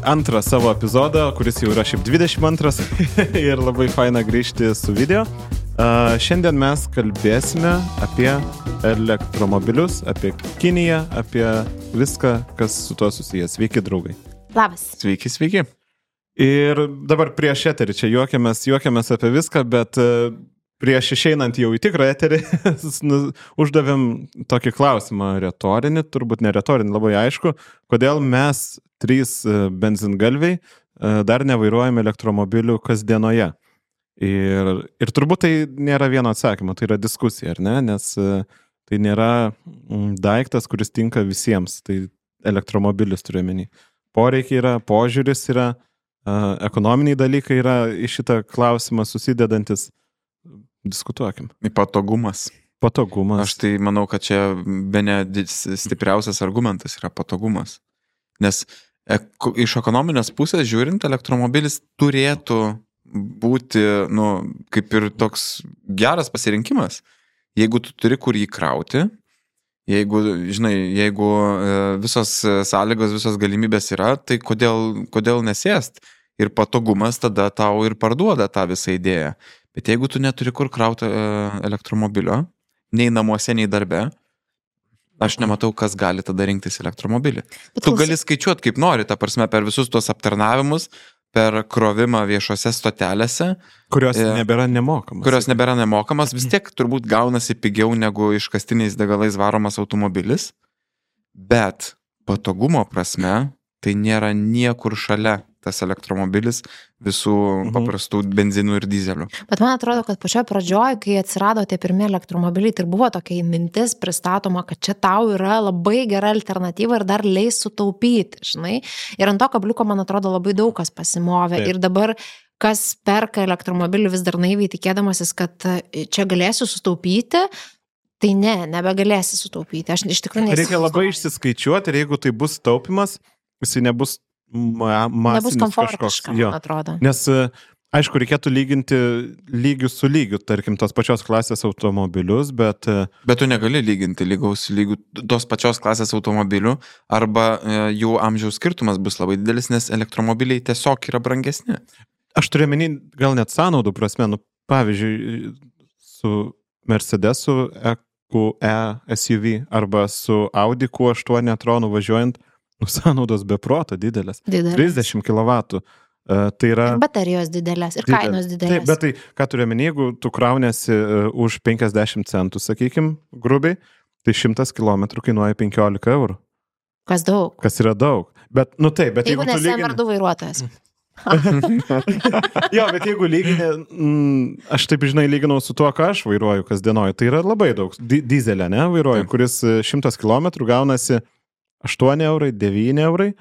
antrą savo epizodą, kuris jau yra šiaip 22 ir labai faina grįžti su video. Šiandien mes kalbėsime apie elektromobilius, apie Kiniją, apie viską, kas su tuo susijęs. Sveiki, draugai. Labas. Sveiki. Ir dabar prieš eterį čia juokiamės apie viską, bet prieš išeinant jau į tikrą eterį uždavėm tokį klausimą retorinį, turbūt ne retorinį, labai aišku, kodėl mes 3 benzingalviai dar nevairuojame elektromobilių kasdienoje. Ir turbūt tai nėra vieno atsakymo, tai yra diskusija, ar ne? Nes tai nėra daiktas, kuris tinka visiems, tai elektromobilis turiu omeny. Poreikiai yra, požiūris yra, ekonominiai dalykai yra į šitą klausimą susidedantis. Diskutuokim. Patogumas. Aš tai manau, kad čia bene stipriausias argumentas yra patogumas. Nes iš ekonominės pusės žiūrint, elektromobilis turėtų būti, kaip ir toks geras pasirinkimas. Jeigu tu turi kur jį krauti, jeigu visos sąlygos, visos galimybės yra, tai kodėl nesėst? Ir patogumas tada tau ir parduoda tą visą idėją. Bet jeigu tu neturi kur krauti elektromobilio, nei namuose, nei darbe, aš nematau, kas gali tada rinktis elektromobilį. Tu gali skaičiuoti kaip nori, ta prasme, per visus tuos aptarnavimus, per krovimą viešose stotelėse. Kurios nebėra nemokamas. Vis tiek turbūt gaunasi pigiau negu iškastiniais degalais varomas automobilis. Bet patogumo prasme, tai nėra niekur šalia tas elektromobilis visų paprastų benzinų ir dizelių. Bet man atrodo, kad pačioje pradžioje, kai atsirado tie pirmie elektromobiliai, tai buvo tokia mintis pristatoma, kad čia tau yra labai gera alternatyva ir dar leis sutaupyti, žinai. Ir ant to kabliuko, man atrodo, labai daug kas pasimovė. Taip. Ir dabar, kas perka elektromobilį vis dar naiviai tikėdamasis, kad čia galėsiu sutaupyti, tai nebegalėsi sutaupyti. Aš iš tikrųjų neįsivaizduoju. Reikia labai išsiskaičiuoti ir jeigu tai bus taupimas, jisai nebus nebus komfortiška, man atrodo. Nes, aišku, reikėtų lyginti lygių su lygiu, tarkim, tos pačios klasės automobilius, bet... Bet tu negali lyginti lygių tos pačios klasės automobilių, arba jų amžiaus skirtumas bus labai didelis, nes elektromobiliai tiesiog yra brangesni. Aš turiu omeny, gal net sąnaudų prasme, pavyzdžiui, su Mercedesu EQE SUV arba su Audi Q8 e-tronu važiuojant, sąnaudos be proto didelės. 30 kW. Tai yra... Ir baterijos didelės, ir kainos didelės. Taip, bet tai, ką turiu omeny, jeigu tu kraunėsi už 50 centų, sakykim, grubiai, tai 100 km kainuoja 15 eurų. Kas daug. Kas yra daug. Bet, bet jeigu nesi M2 vairuotojas. Jo, bet jeigu lygini, aš taip lyginau su tuo, ką aš vairuoju kasdienoje, tai yra labai daug. Dizelė, vairuoju, kuris 100 km gaunasi 8 eurai, 9 eurai,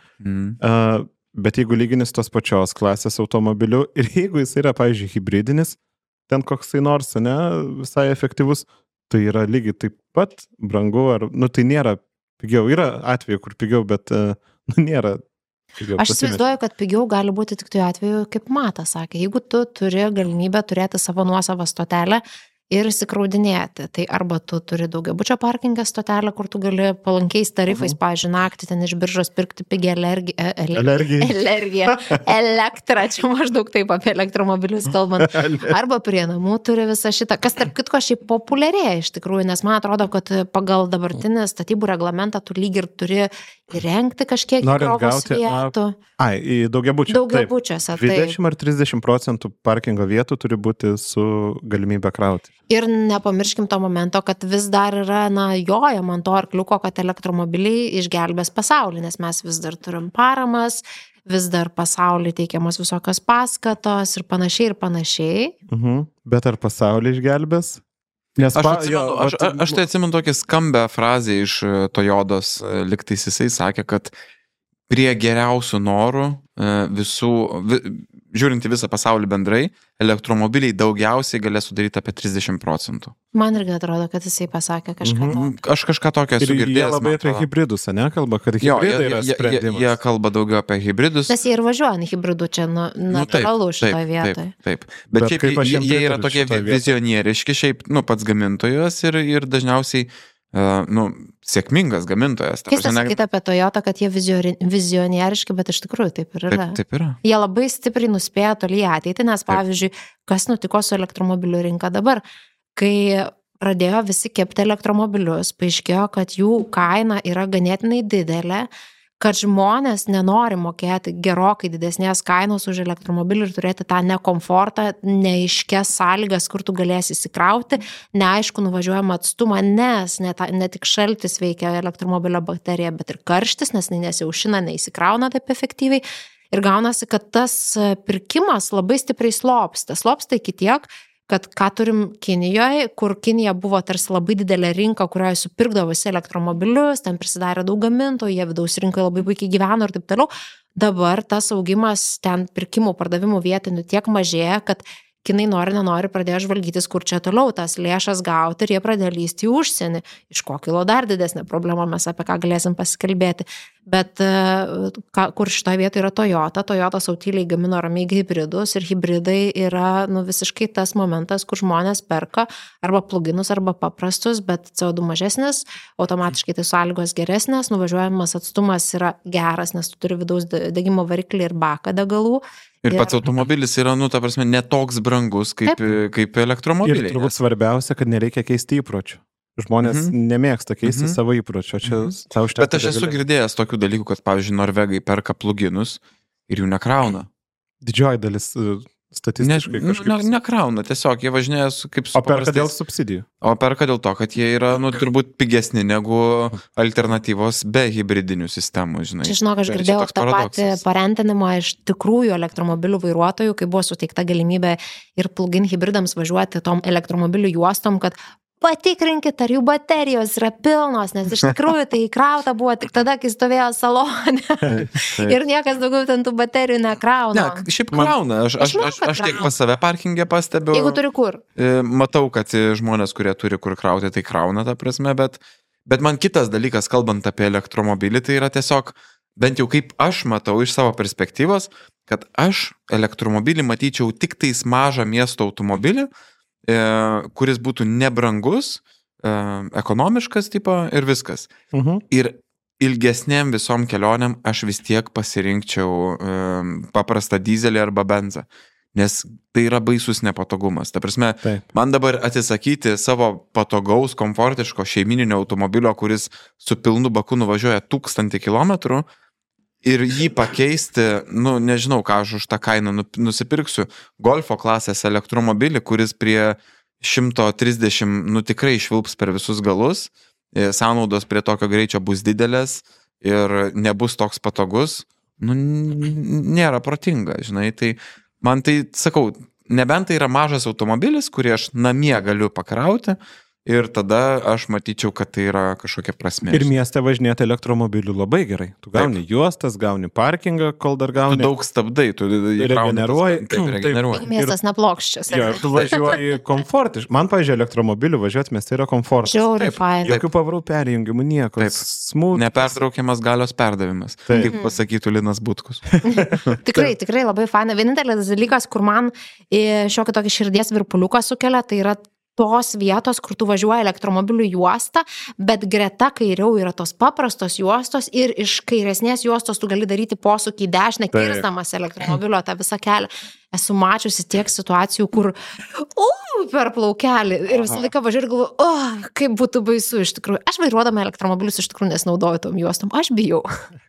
bet jeigu lyginis tos pačios klasės automobiliu ir jeigu jis yra, pavyzdžiui, hybridinis, ten koksai nors, visai efektyvus, tai yra lygiai taip pat brangu, tai nėra pigiau. Yra atveju, kur pigiau, bet nėra pigiau. Aš įsivaizduoju, kad pigiau gali būti tik tuo atveju, kaip Matas sakė, jeigu tu turi galimybę turėti savo nuosavą stotelę, ir įsikraudinėti. Tai arba tu turi daugiabučio parkingę stotelę, kur tu gali palankiais tarifais, pavyzdžiui, naktį ten iš biržos pirkti pigią elektrą, čia maždaug taip apie elektromobilius kalbant. Arba prie namų turi visą šitą, kas tarp kitko šiaip populiarėja iš tikrųjų, nes man atrodo, kad pagal dabartinį statybų reglamentą tu lyg ir turi įrengti kažkiek įkrovos vietų. Į daugiabučių. Daugiabučiuose. 20 ar 30% parkingo vietų turi būti su galimybė krauti. Ir nepamirškim to momento, kad vis dar yra, jojama ant to arkliuko, kad elektromobiliai išgelbės pasaulį, nes mes vis dar turim paramas, vis dar pasaulį teikiamos visokios paskatos ir panašiai. Bet ar pasaulį išgelbės? Aš tai atsimenu tokį skambę frazę iš Toyotos, liktais jisai sakė, kad prie geriausių norų žiūrint į visą pasaulį bendrai, elektromobiliai daugiausiai galės sudaryti apie 30%. Man irgi atrodo, kad jisai pasakė kažką tokio. Aš kažką tokio esu girdėjęs. Ir jie labai apie hybridus, nekalba, kad hybridai yra sprendimas. Jie kalba daugiau apie hybridus. Nes jie ir važiuoja ant hybridų, čia natūralu šitoje vietoje. Taip. Bet šiaip jie yra tokie vizionieriški, šiaip pats gamintojas ir dažniausiai sėkmingas gamintojas. Keista sakyti apie Toyota, kad jie vizionieriški, bet iš tikrųjų taip ir yra. Taip yra. Jie labai stipriai nuspėja toli ateitį, nes pavyzdžiui, kas nutiko su elektromobilių rinka dabar, kai pradėjo visi kepti elektromobilius, paaiškėjo, kad jų kaina yra ganėtinai didelė, kad žmonės nenori mokėti gerokai didesnės kainos už elektromobilį ir turėti tą nekomfortą, neaiškės sąlygas, kur tu galėsi įsikrauti, neaišku nuvažiuojamą atstumą, nes ne tik šaltis veikia elektromobilio bateriją, bet ir karštis, nes nesiaušina, neįsikrauna taip efektyviai. Ir gaunasi, kad tas pirkimas labai stipriai slopsta iki tiek, kad ką turim Kinijoje, kur Kinija buvo tarsi labai didelė rinka, kurioje supirkdavo visi elektromobilius, ten prisidarė daug gamintojų, jie vidaus rinkoje labai puikiai gyveno ir taip toliau. Dabar tas augimas ten pirkimų, pardavimų vietinių tiek mažėja, kad Kinai nenori pradėjo žvalgytis, kur čia toliau tas lėšas gauti ir jie pradėjo lysti į užsienį. Iš ko kilo dar didesnė problema, mes apie ką galėsim pasikalbėti. Bet kur šitoje vietoje yra Toyota. Toyota sautyliai gamino ramiai hibridus ir hibridai yra visiškai tas momentas, kur žmonės perka arba pluginus, arba paprastus, bet CO2 mažesnis, automatiškai tai sąlygos geresnės, nuvažiuojamas atstumas yra geras, nes tu turi vidaus degimo variklį ir baką degalų. Ir pats automobilis yra, ta prasme, netoks brangus kaip elektromobiliai. Ir turbūt svarbiausia, kad nereikia keisti įpročių. Žmonės nemėgsta keisti savo įpročio. Bet aš esu girdėjęs tokių dalykų, kad, pavyzdžiui, norvegai perka pluginus ir jų nekrauna. Didžioji dalis statistiškai kažkaip. Nekrauna, tiesiog jie važinėja kaip su paprastais. O perka dėl subsidijų. O perka dėl to, kad jie yra, turbūt pigesni negu alternatyvos be hibridinių sistemų, žinai. Čia, žinok, aš girdėjau tą patį parentinimą iš tikrųjų elektromobilių vairuotojų, kai buvo suteikta galimybė ir plug-in hibridams važiuoti tom elektromobilių juostom, kad patikrinkit, ar jų baterijos yra pilnos, nes iš tikrųjų tai įkrauta buvo tik tada, kai stovėjo salone. Ir niekas daugiau ten tų baterijų nekrauna. Ne, šiaip krauna. Aš tiek pas save parkingę pastebiu. Jeigu turi kur. Matau, kad žmonės, kurie turi kur krauti, tai krauna, ta prasme, bet man kitas dalykas, kalbant apie elektromobilį, tai yra tiesiog, bent jau kaip aš matau iš savo perspektyvos, kad aš elektromobilį matyčiau tik tais mažą miesto automobilį, kuris būtų nebrangus, ekonomiškas tipo ir viskas. Ir ilgesnėm visom kelionėm aš vis tiek pasirinkčiau paprastą dizelį arba benzą, nes tai yra baisus nepatogumas. Ta prasme, man dabar atsisakyti savo patogaus, komfortiško šeimininio automobilio, kuris su pilnu baku nuvažiuoja 1000 kilometrų, ir jį pakeisti, nežinau, ką aš už tą kainą nusipirksiu, Golfo klasės elektromobilį, kuris prie 130, tikrai išvilps per visus galus, sąnaudos prie tokio greičio bus didelės ir nebus toks patogus, nėra protinga, žinai, tai man tai, sakau, nebent tai yra mažas automobilis, kurį aš namie galiu pakrauti, ir tada aš matyčiau, kad tai yra kažkokia prasmė. Ir mieste važinėti elektromobiliu labai gerai. Tu gauni juostas, gauni parkingą, kol dar gauni. Tu daug stabdai, tu regeneruoji. Miestas neplokščias. Jo, tu važiuoji komfortiškai. Man, pavyzdžiui, elektromobiliu važiuoti mieste yra komfortas. Žiauriai fain. Jokių pavarų perjungimų, nieko. Nepertraukiamas galios perdavimas. Kaip pasakytų Linas Butkus. Tikrai labai faina. Vienintelis dalykas, kur man šiokį tokį širdies virpuliuką sukelia, tai yra tos vietos, kur tu važiuoji elektromobilių juostą, bet greta kairiau yra tos paprastos juostos ir iš kairesnės juostos tu gali daryti posūkį į dešinę, kirsdamas elektromobilio tą visą kelią. Esu mačiusi tiek situacijų, kur per plaukelį ir visą laiką važiuoju ir galvoju, kaip būtų baisu iš tikrųjų. Aš vairuodama elektromobilius iš tikrųjų nesinaudoju tom juostom. Aš bijau.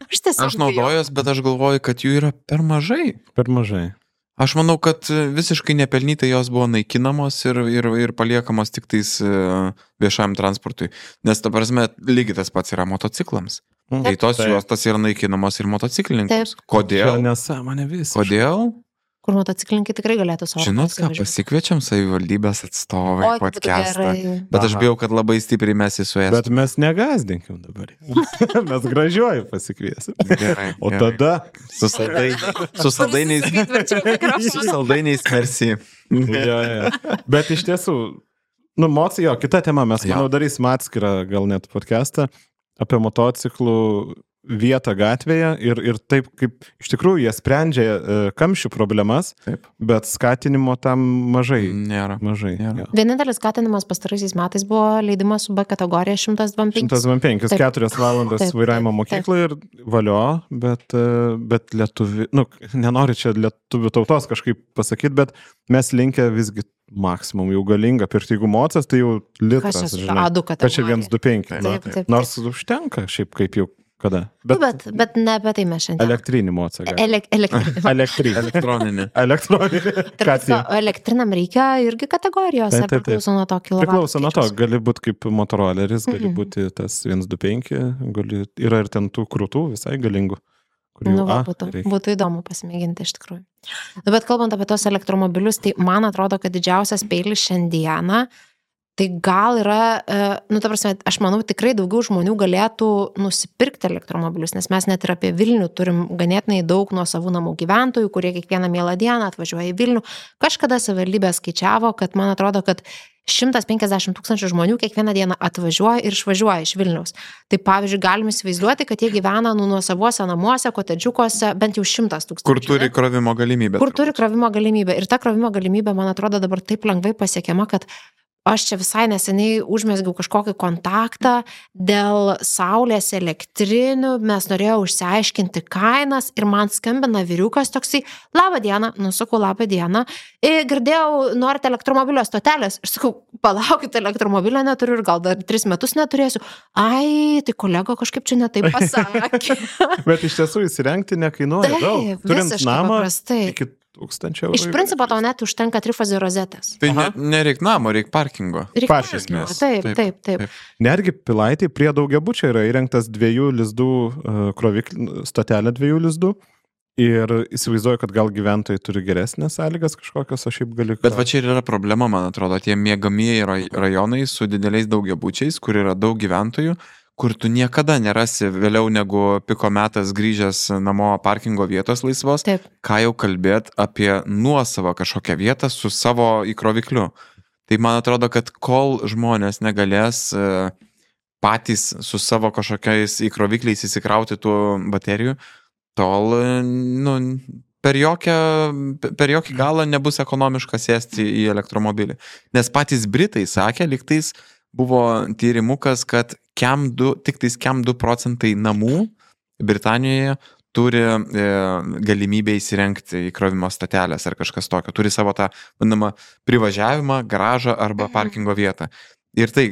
Aš naudojos, bet aš galvoju, kad jų yra per mažai. Per mažai. Aš manau, kad visiškai nepelnytai jos buvo naikinamos ir paliekamos tik tais viešajam transportui. Nes, ta prasme, lygiai tas pats yra motociklams. Tai tos juostos yra naikinamos ir motociklininkams. Kodėl? Nesąmonė visai. Kodėl? Kur motociklininkai tikrai galėtų savo. Žinot ką, pasikviečiam savivaldybės atstovai podcastą. Bet aš bijau, kad labai stipriai mes įsuėsim. Bet mes negazdinkim dabar. Mes gražiuoju pasikviesim. Gerai. O tada su saldainiais merci. Bet iš tiesų, kita tema, mes manau darysim atskirą gal net podcastą apie motociklų vietą gatvėje ir taip, kaip iš tikrųjų jie sprendžia kamščių problemas, Taip. bet skatinimo tam mažai. Nėra. Mažai. Nėra. Jo. Vienintelis skatinimas pastaraisiais metais buvo leidimas su B kategorija 125. 125, Taip. 4 valandas Taip, vairavimo taip, mokykloje ir valio, bet lietuvi, nenoriu čia lietuvių tautos kažkaip pasakyti, bet mes linkę visgi maksimum jau galinga pirkti, jeigu mocas, tai jau litras, Kas čia žinai. A2 Kad čia kategorija? 125. Taip, taip, taip. Nors užtenka šiaip kaip jau kada. Bet ne apie tai mes šiandien. Elektrinį mocą. Elektrinį. Elektrinį. Elektroninė. Elektroninį. Ką tai? Elektrinam reikia irgi kategorijos, Taip, ar taip, taip. priklauso nuo to kilovatų. Priklauso nuo to, skaičiaus? gali būti kaip motoroleris, gali Mhm. būti tas 125, yra ir ten tų krūtų visai galingų. kurių, Nu, būtų įdomu pasimėginti iš tikrųjų. Nu, bet kalbant apie tos elektromobilius, tai man atrodo, kad didžiausias peilis šiandieną, tai gal yra, ta prasme, aš manau, tikrai daugiau žmonių galėtų nusipirkti elektromobilius, nes mes net ir apie Vilnių turim ganėtinai daug nuo savų namų gyventojų, kurie kiekvieną mielą dieną atvažiuoja į Vilnių. Kažkada savivaldybė skaičiavo, kad man atrodo, kad 150 000 žmonių kiekvieną dieną atvažiuoja ir išvažiuoja iš Vilniaus. Tai pavyzdžiui, galim įsivaizduoti, kad jie gyvena nuo savuose namuose, kotedžiukuose, bent jau 100 000. Kur turi krovimo galimybę. Kur turi krovimo galimybę. Ir ta krovimo galimybė, man atrodo, dabar taip lengvai pasiekiama, kad aš čia visai neseniai užmesgiau kažkokį kontaktą dėl saulės elektrinių, mes norėjau išsiaiškinti kainas ir man skambina vyriukas toksai, labą dieną, nusakau, labą dieną, girdėjau, norite elektromobilio stotelės, ir sakau, palaukit, elektromobilio neturiu ir gal dar 3 metus neturėsiu. Ai, tai kolega kažkaip čia netaip pasakė. Bet iš tiesų įsirengti nekainuoja daug. Turint visiškai namą paprastai. iki 1000 eurų. Iš principo tau net užtenka trifazio rozetės. Tai Aha. nereik namo, reik parkingo. Reikia Parkingo. parkingo. Taip. Netgi Pilaitėj prie daugiabučio yra įrengtas 2 lizdų stotelė 2 lizdų. Ir įsivaizduoju, kad gal gyventojai turi geresnės sąlygas kažkokios, o šiaip gali... Bet va čia ir yra problema, man atrodo, tie miegamieji rajonai su dideliais daugiabučiais, kur yra daug gyventojų, kur tu niekada nerasi vėliau negu piko metas grįžęs namo parkingo vietos laisvos, Taip. ką jau kalbėt apie nuosavą kažkokią vietą su savo įkrovikliu. Tai man atrodo, kad kol žmonės negalės patys su savo kažkokiais įkrovikliais įsikrauti tų baterijų, tol per jokį galą nebus ekonomiška sėsti į elektromobilį. Nes patys Britai sakė, lygtais buvo tyrimukas, kad tik tais 2% namų Britanijoje turi galimybę įsirengti įkrovimo statelės ar kažkas tokio. Turi savo tą, vadinamą, privažiavimą, garažą arba parkingo vietą. Ir tai,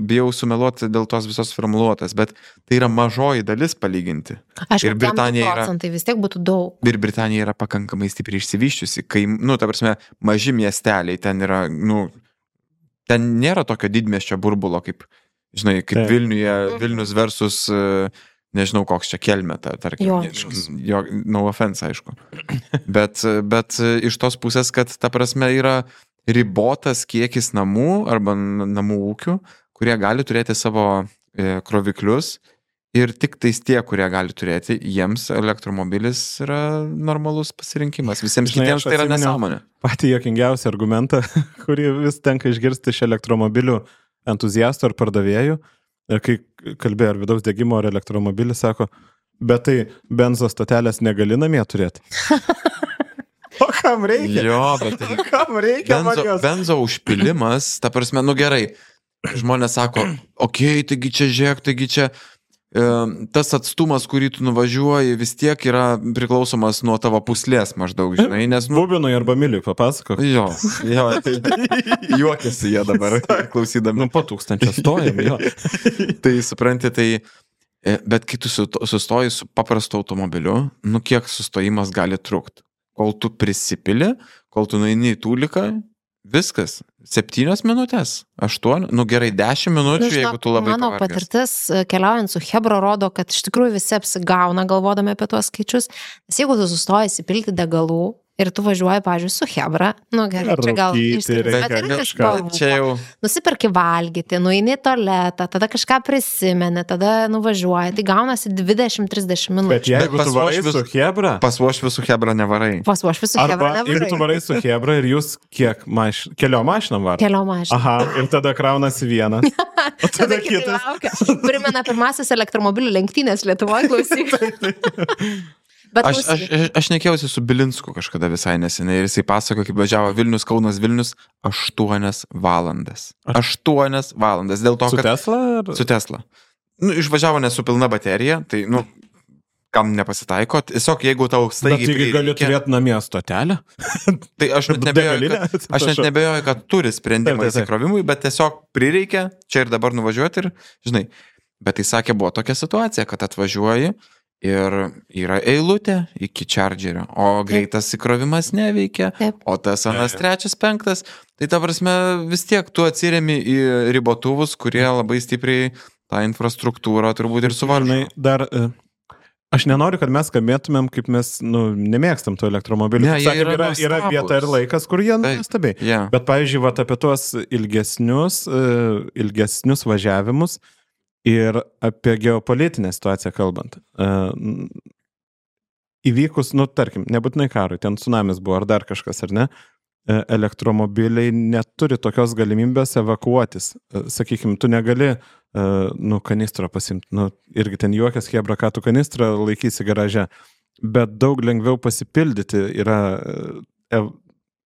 bijau sumeluoti dėl tos visos formuluotės, bet tai yra mažoji dalis palyginti. Aišku, Ir Britanija yra- procentai vis tiek būtų daug. Ir Britanija yra pakankamai stipriai išsivyščiusi, kai, ta prasme, maži miesteliai ten yra, ten nėra tokio didmiesčio burbulo, kaip, žinai, kaip Taip. Vilnius versus, nežinau, koks čia Kelmė, tarkim. Joniškis. No offense, aišku. Bet iš tos pusės, kad, ta prasme, yra ribotas kiekis namų arba namų ūkių, kurie gali turėti savo kroviklius ir tik tais tie, kurie gali turėti, jiems elektromobilis yra normalus pasirinkimas. Visiems Žinai, kitiems aš tai yra atsiminiau nesąmonė. Patį jokingiausią argumentą, kurį vis tenka išgirsti iš elektromobilių entuziastų ar pardavėjų. Ir kai kalbėjo ar vidaus degimo ar elektromobilį, sako, bet tai benzo stotelės negali namie turėti. O kam reikia? Jo, bet O kam reikia man jos? benzo užpilimas, ta prasme, gerai, žmonės sako, okei, taigi čia žiūrėk, taigi čia tas atstumas, kurį tu nuvažiuoji, vis tiek yra priklausomas nuo tavo puslės maždaug, žinai, nes, Bubinui arba Miliui papasakok. Jo, tai juokiasi jie dabar, klausydami. Po 1000 stojam, jo. Tai supranti, bet kai tu sustoji su paprastu automobiliu, kiek sustojimas gali trukti? Kol tu prisipili, kol tu nueini į tūliką, viskas. 7 minutės, 8, gerai, 10 minučių, jeigu tu labai Mano pavargęs. patirtis keliaujant su Hebra rodo, kad iš tikrųjų visi apsigauna galvodami apie tuos skaičius, nes jeigu tu sustoji įsipilti degalų ir tu važiuoji, pavyzdžiui, su Hebra, nu gerai, čia gal čia jau... Nusipirki valgyti, nueini į tualetą, tada kažką prisimeni, tada nuvažiuoji, tai gaunasi 20-30 minučių. Bet jeigu tu varai su Hebra... Pas Uošvį su Hebra nevarai. Pas Uošvį su Hebra nevarai. Jeigu tu varai su Hebra ir jūs kiek kelio mašiną varai? Kelio mašiną. Aha, ir tada kraunasi vienas. O tada kitas. Primena pirmasis elektromobilių lenktynės Lietuvoje, klausyk. Aš nekėjausi su Bilinsku kažkada visai neseniai ir jisai pasako, kaip važiavo Vilnius, Kaunas, Vilnius 8 valandas. 8 valandas. Dėl to, su kad... Tesla? Ar... Su Tesla. Nu, išvažiavo ne su pilna baterija, tai, nu, kam nepasitaiko. Tiesiog, jeigu tau staigiai... Bet taigi gali turėti namie stotelę? Tai aš net nebejoju, kad turi sprendimą įsikrovimui, bet tiesiog prireikia čia ir dabar nuvažiuoti ir, žinai, bet tai sakė, buvo tokia situacija, kad atvažiuoji ir yra eilutė iki chargerio, o greitas įkrovimas neveikia, o tas anas 3, 5, tai ta prasme vis tiek tu atsiremi į ribotuvus, kurie labai stipriai tą infrastruktūrą turbūt ir suvaržo. Dar... Aš nenoriu, kad mes skambėtumėm, kaip mes nemėgstam tų elektromobilių. Ne, yra vieta ir laikas, kur jie nuostabiai. Yeah. Bet, pavyzdžiui, apie tuos ilgesnius važiavimus ir apie geopolitinę situaciją kalbant. Įvykus, tarkim, nebūtinai karui, ten tsunamis buvo ar dar kažkas, ar ne? Elektromobiliai neturi tokios galimybės evakuotis. Sakykime, tu negali kanistrą pasimti. Irgi ten juokas, Hebra, ką tu kanistrą laikysi garaže. Bet daug lengviau pasipildyti yra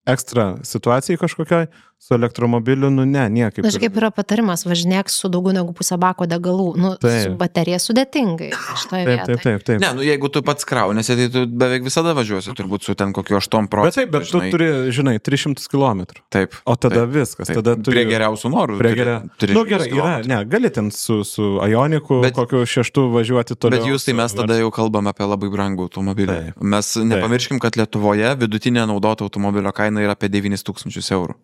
ekstra situacijai kažkokiai, su elektromobiliu, niekaip. Kaip yra patarimas, važinėk su daugiau negu pusę bako degalų, su baterija sudėtingai. Taip. Ne, jeigu tu pats kraunėsi, tai tu beveik visada važiuosi, turbūt su ten kokiu 8%. Bet tu turi, 300 km. Taip. O tada viskas. Tada prie geriausių norų. Gerai, gali ten su Ioniku kokiu 6 važiuoti toliau. Bet jūs tai mes tada jau kalbam apie labai brangų automobilį. Mes nepamirškim, kad Lietuvoje vidutinė naudoto automobilio kaina yra apie 9 000 eurų.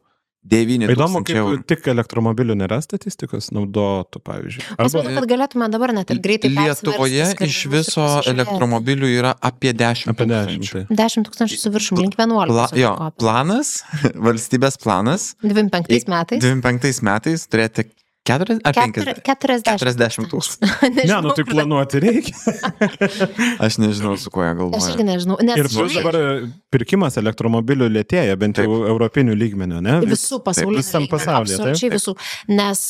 9 000 Įdomu, kaip eurų. Tik elektromobilių nėra statistikos naudotų, pavyzdžiui. Aš manau, kad galėtume dabar net ir greitai Lietuvoje iš viso elektromobilių yra apie 10 000. 10 000 su viršum, link 11. Planas, valstybės planas. 25 metais. 25 metais turėti 40 000. Ne, tai planuoti reikia. Aš nežinau, su kuo jie galvoja. Aš irgi nežinau. Ir dabar pirkimas elektromobilių lėtėja, bent jau europinių lygmenių, ne? Visų pasaulyje. Visam pasaulyje. Absoliučiai visų. Nes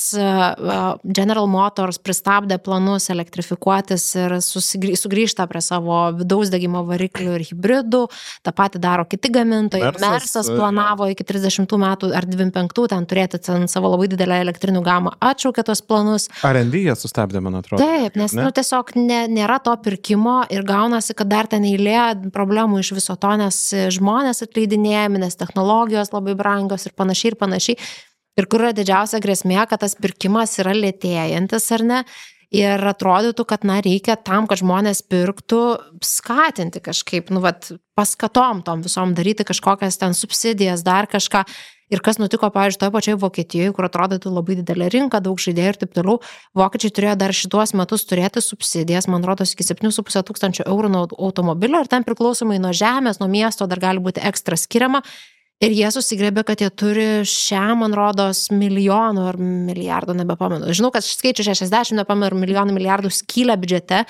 General Motors pristabdė planus elektrifikuotis ir sugrįžta prie savo vidaus degimo variklių ir hibridų. Ta pati daro kiti gamintojai. Mersas planavo iki 30 metų ar 25 ten turėti savo labai didelę elektrinių gamą. Atšaukė tos planus. R&D jie sustabdė, man atrodo. Taip, nes tiesiog nėra to pirkimo ir gaunasi, kad dar ten eilė problemų iš viso to, nes žmonės atleidinėjami, nes technologijos labai brangios ir panašiai. Ir kur yra didžiausia grėsmė, kad tas pirkimas yra lėtėjantis, ar ne? Ir atrodytų, kad reikia tam, kad žmonės pirktų, skatinti kažkaip, paskatom tom visom daryti kažkokias ten subsidijas, dar kažką. Ir kas nutiko, pavyzdžiui, toje pačioje Vokietijoje, kur atrodytų labai didelė rinka, daug žaidėjų ir taip toliau, vokiečiai turėjo dar šituos metus turėti subsidijas, man rodos, iki 7,5 tūkstančių eurų nuo automobilio ir ten priklausomai nuo žemės, nuo miesto dar gali būti ekstra skiriama. Ir jie susigrėbė, kad jie turi man rodos, milijonų ar milijardų, nebepamenu. Žinau, kad skaičių 60, nepamenu, milijonų milijardų skylę biudžete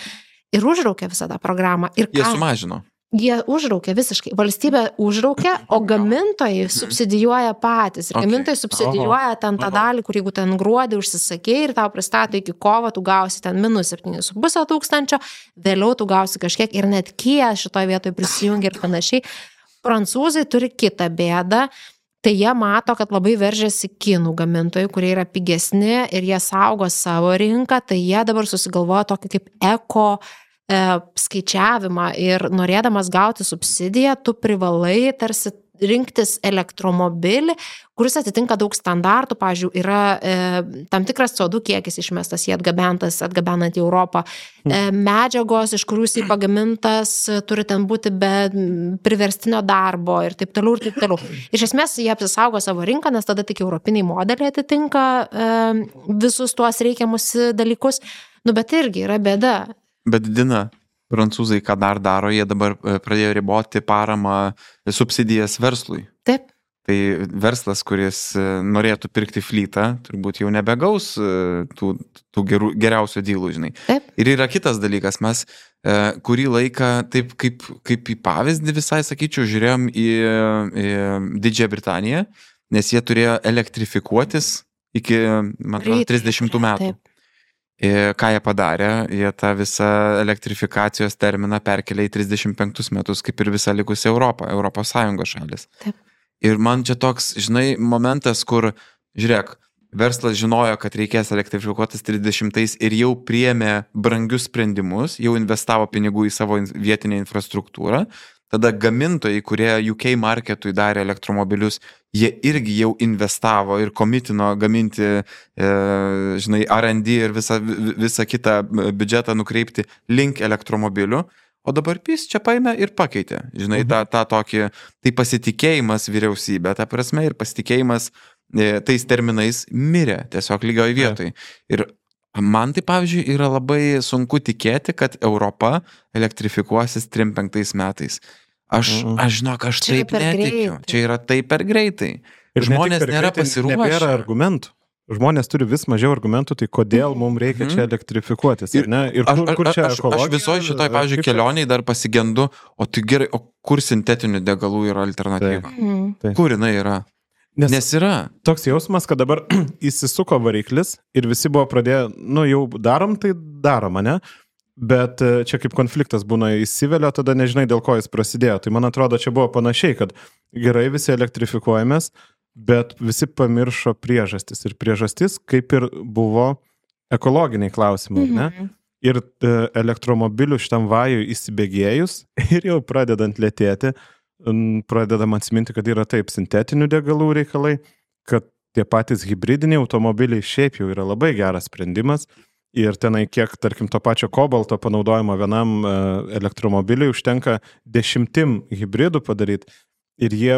ir užraukė visą tą programą. Ir jie sumažino. Jie užraukė visiškai. Valstybė užraukė, o gamintojai subsidijuoja patys. Ir gamintojai subsidijuoja ten tą dalį, kur jeigu ten gruodį užsisakė ir tau pristato iki kovo, tu gausi ten minus 7,5 tūkstančio, vėliau tu gausi kažkiek ir net Kia šitoje vietoje prisijungia ir panašiai. Prancūzai turi kitą bėdą, tai jie mato, kad labai veržiasi kinų gamintojai, kurie yra pigesni ir jie saugo savo rinką, tai jie dabar susigalvoja tokį kaip eko skaičiavimą ir norėdamas gauti subsidiją, tu privalai tarsi rinktis elektromobilį, kuris atitinka daug standartų, pavyzdžiui, yra tam tikras CO2 kiekis išmestas, jį atgabenant į Europą, medžiagos, iš kurių jis pagamintas, turi ten būti be priverstinio darbo ir taip toliau ir taip toliau. Iš esmės, jie apsisaugo savo rinką, nes tada tik europiniai modeliai atitinka visus tuos reikiamus dalykus, bet irgi yra bėda. Bet Dina, prancūzai ką dar daro, jie dabar pradėjo riboti paramą, subsidijas verslui. Taip. Tai verslas, kuris norėtų pirkti flytą, turbūt jau nebegaus tų geriausių dylų, žinai. Taip. Ir yra kitas dalykas, mes kurį laiką, taip kaip į pavyzdį visai, sakyčiau, žiūrėjom į Didžiąją Britaniją, nes jie turėjo elektrifikuotis iki, man atrodo, 30 metų. Taip. Ką jie padarė, jie tą visą elektrifikacijos terminą perkelė į 35 metus, kaip ir visą likusią Europos Sąjungos šalis. Taip. Ir man čia toks, žinai, momentas, kur, žiūrėk, verslas žinojo, kad reikės elektrifikuotis 30 ir jau priėmė brangius sprendimus, jau investavo pinigų į savo vietinę infrastruktūrą. Tada gamintojai, kurie UK marketui darė elektromobilius, jie irgi jau investavo ir komitino gaminti, žinai, R&D ir visą kitą biudžetą nukreipti link elektromobilių. O dabar PiS čia paėmė ir pakeitė, žinai, tą tokį, tai pasitikėjimas vyriausybė, ta prasme, ir pasitikėjimas tais terminais mirė tiesiog lygioj vietoj. Ir man tai, pavyzdžiui, yra labai sunku tikėti, kad Europa elektrifikuosis 35 metais. Aš žinok, aš taip netikiu. Čia yra taip per greitai. Ir žmonės nėra pasiruošę. Nebėra argumentų. Žmonės turi vis mažiau argumentų, tai kodėl mums reikia čia elektrifikuotis. Ir kur čia ekologija? Aš visoje šitoj, pavyzdžiui, kelioniai dar pasigendu, o tai gerai, o kur sintetinių degalų yra alternatyva? Kur jinai yra? Nes yra. Toks jausmas, kad dabar įsisuko variklis ir visi buvo pradėję, jau darom, tai darom, ne? Bet čia kaip konfliktas būna įsivelia, tada nežinai, dėl ko jis prasidėjo. Tai man atrodo, čia buvo panašiai, kad gerai visi elektrifikuojamės, bet visi pamiršo priežastis. Ir priežastis kaip ir buvo ekologiniai klausimai, ne? Ir elektromobilių šitam vajui įsibėgėjus ir jau pradedant lėtėti, pradedam atsiminti, kad yra taip sintetinių degalų reikalai, kad tie patys hibridiniai automobiliai šiaip jau yra labai geras sprendimas. Ir tenai kiek, tarkim, to pačio kobalto panaudojimo vienam elektromobiliui užtenka 10 hibridų padaryti. Ir jie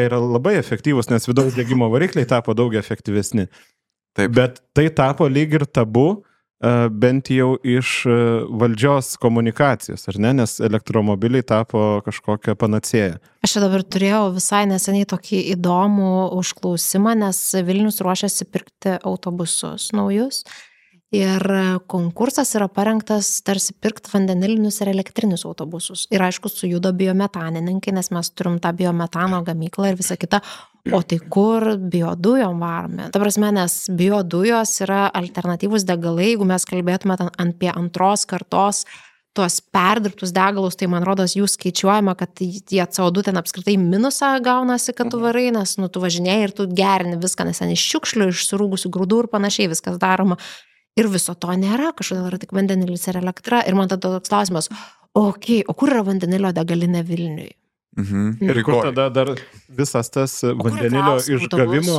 yra labai efektyvūs, nes vidaus degimo varikliai tapo daug efektyvesni. Taip. Bet tai tapo lyg ir tabu, bent jau iš valdžios komunikacijos, ar ne? Nes elektromobiliai tapo kažkokią panacėją. Aš dabar turėjau visai neseniai tokį įdomų užklausimą, nes Vilnius ruošiasi pirkti autobusus naujus. Ir konkursas yra parengtas tarsi pirkti vandenilinius ir elektrinius autobusus. Ir aišku, sujudo biometanininkai, nes mes turim tą biometano gamyklą ir visą kitą. O tai kur biodujom varome? Ta prasme, nes biodujos yra alternatyvūs degalai, jeigu mes kalbėtume apie antros kartos tuos perdirbtus degalus, tai man rodos jų skaičiuojama, kad tie CO2 ten apskritai minusą gaunasi, kad tu varai, nes tu važinėjai ir tu gerini viską, nes ten iš šiukšlių, iš surūgusių grūdų ir panašiai viskas daroma. Ir viso to nėra, kažkodėl yra tik vandenilis ir elektra. Ir man tada toks klausimas, o kur yra vandenilio degalinė Vilniui? Ir kur tada dar visas tas vandenilio išgavimo,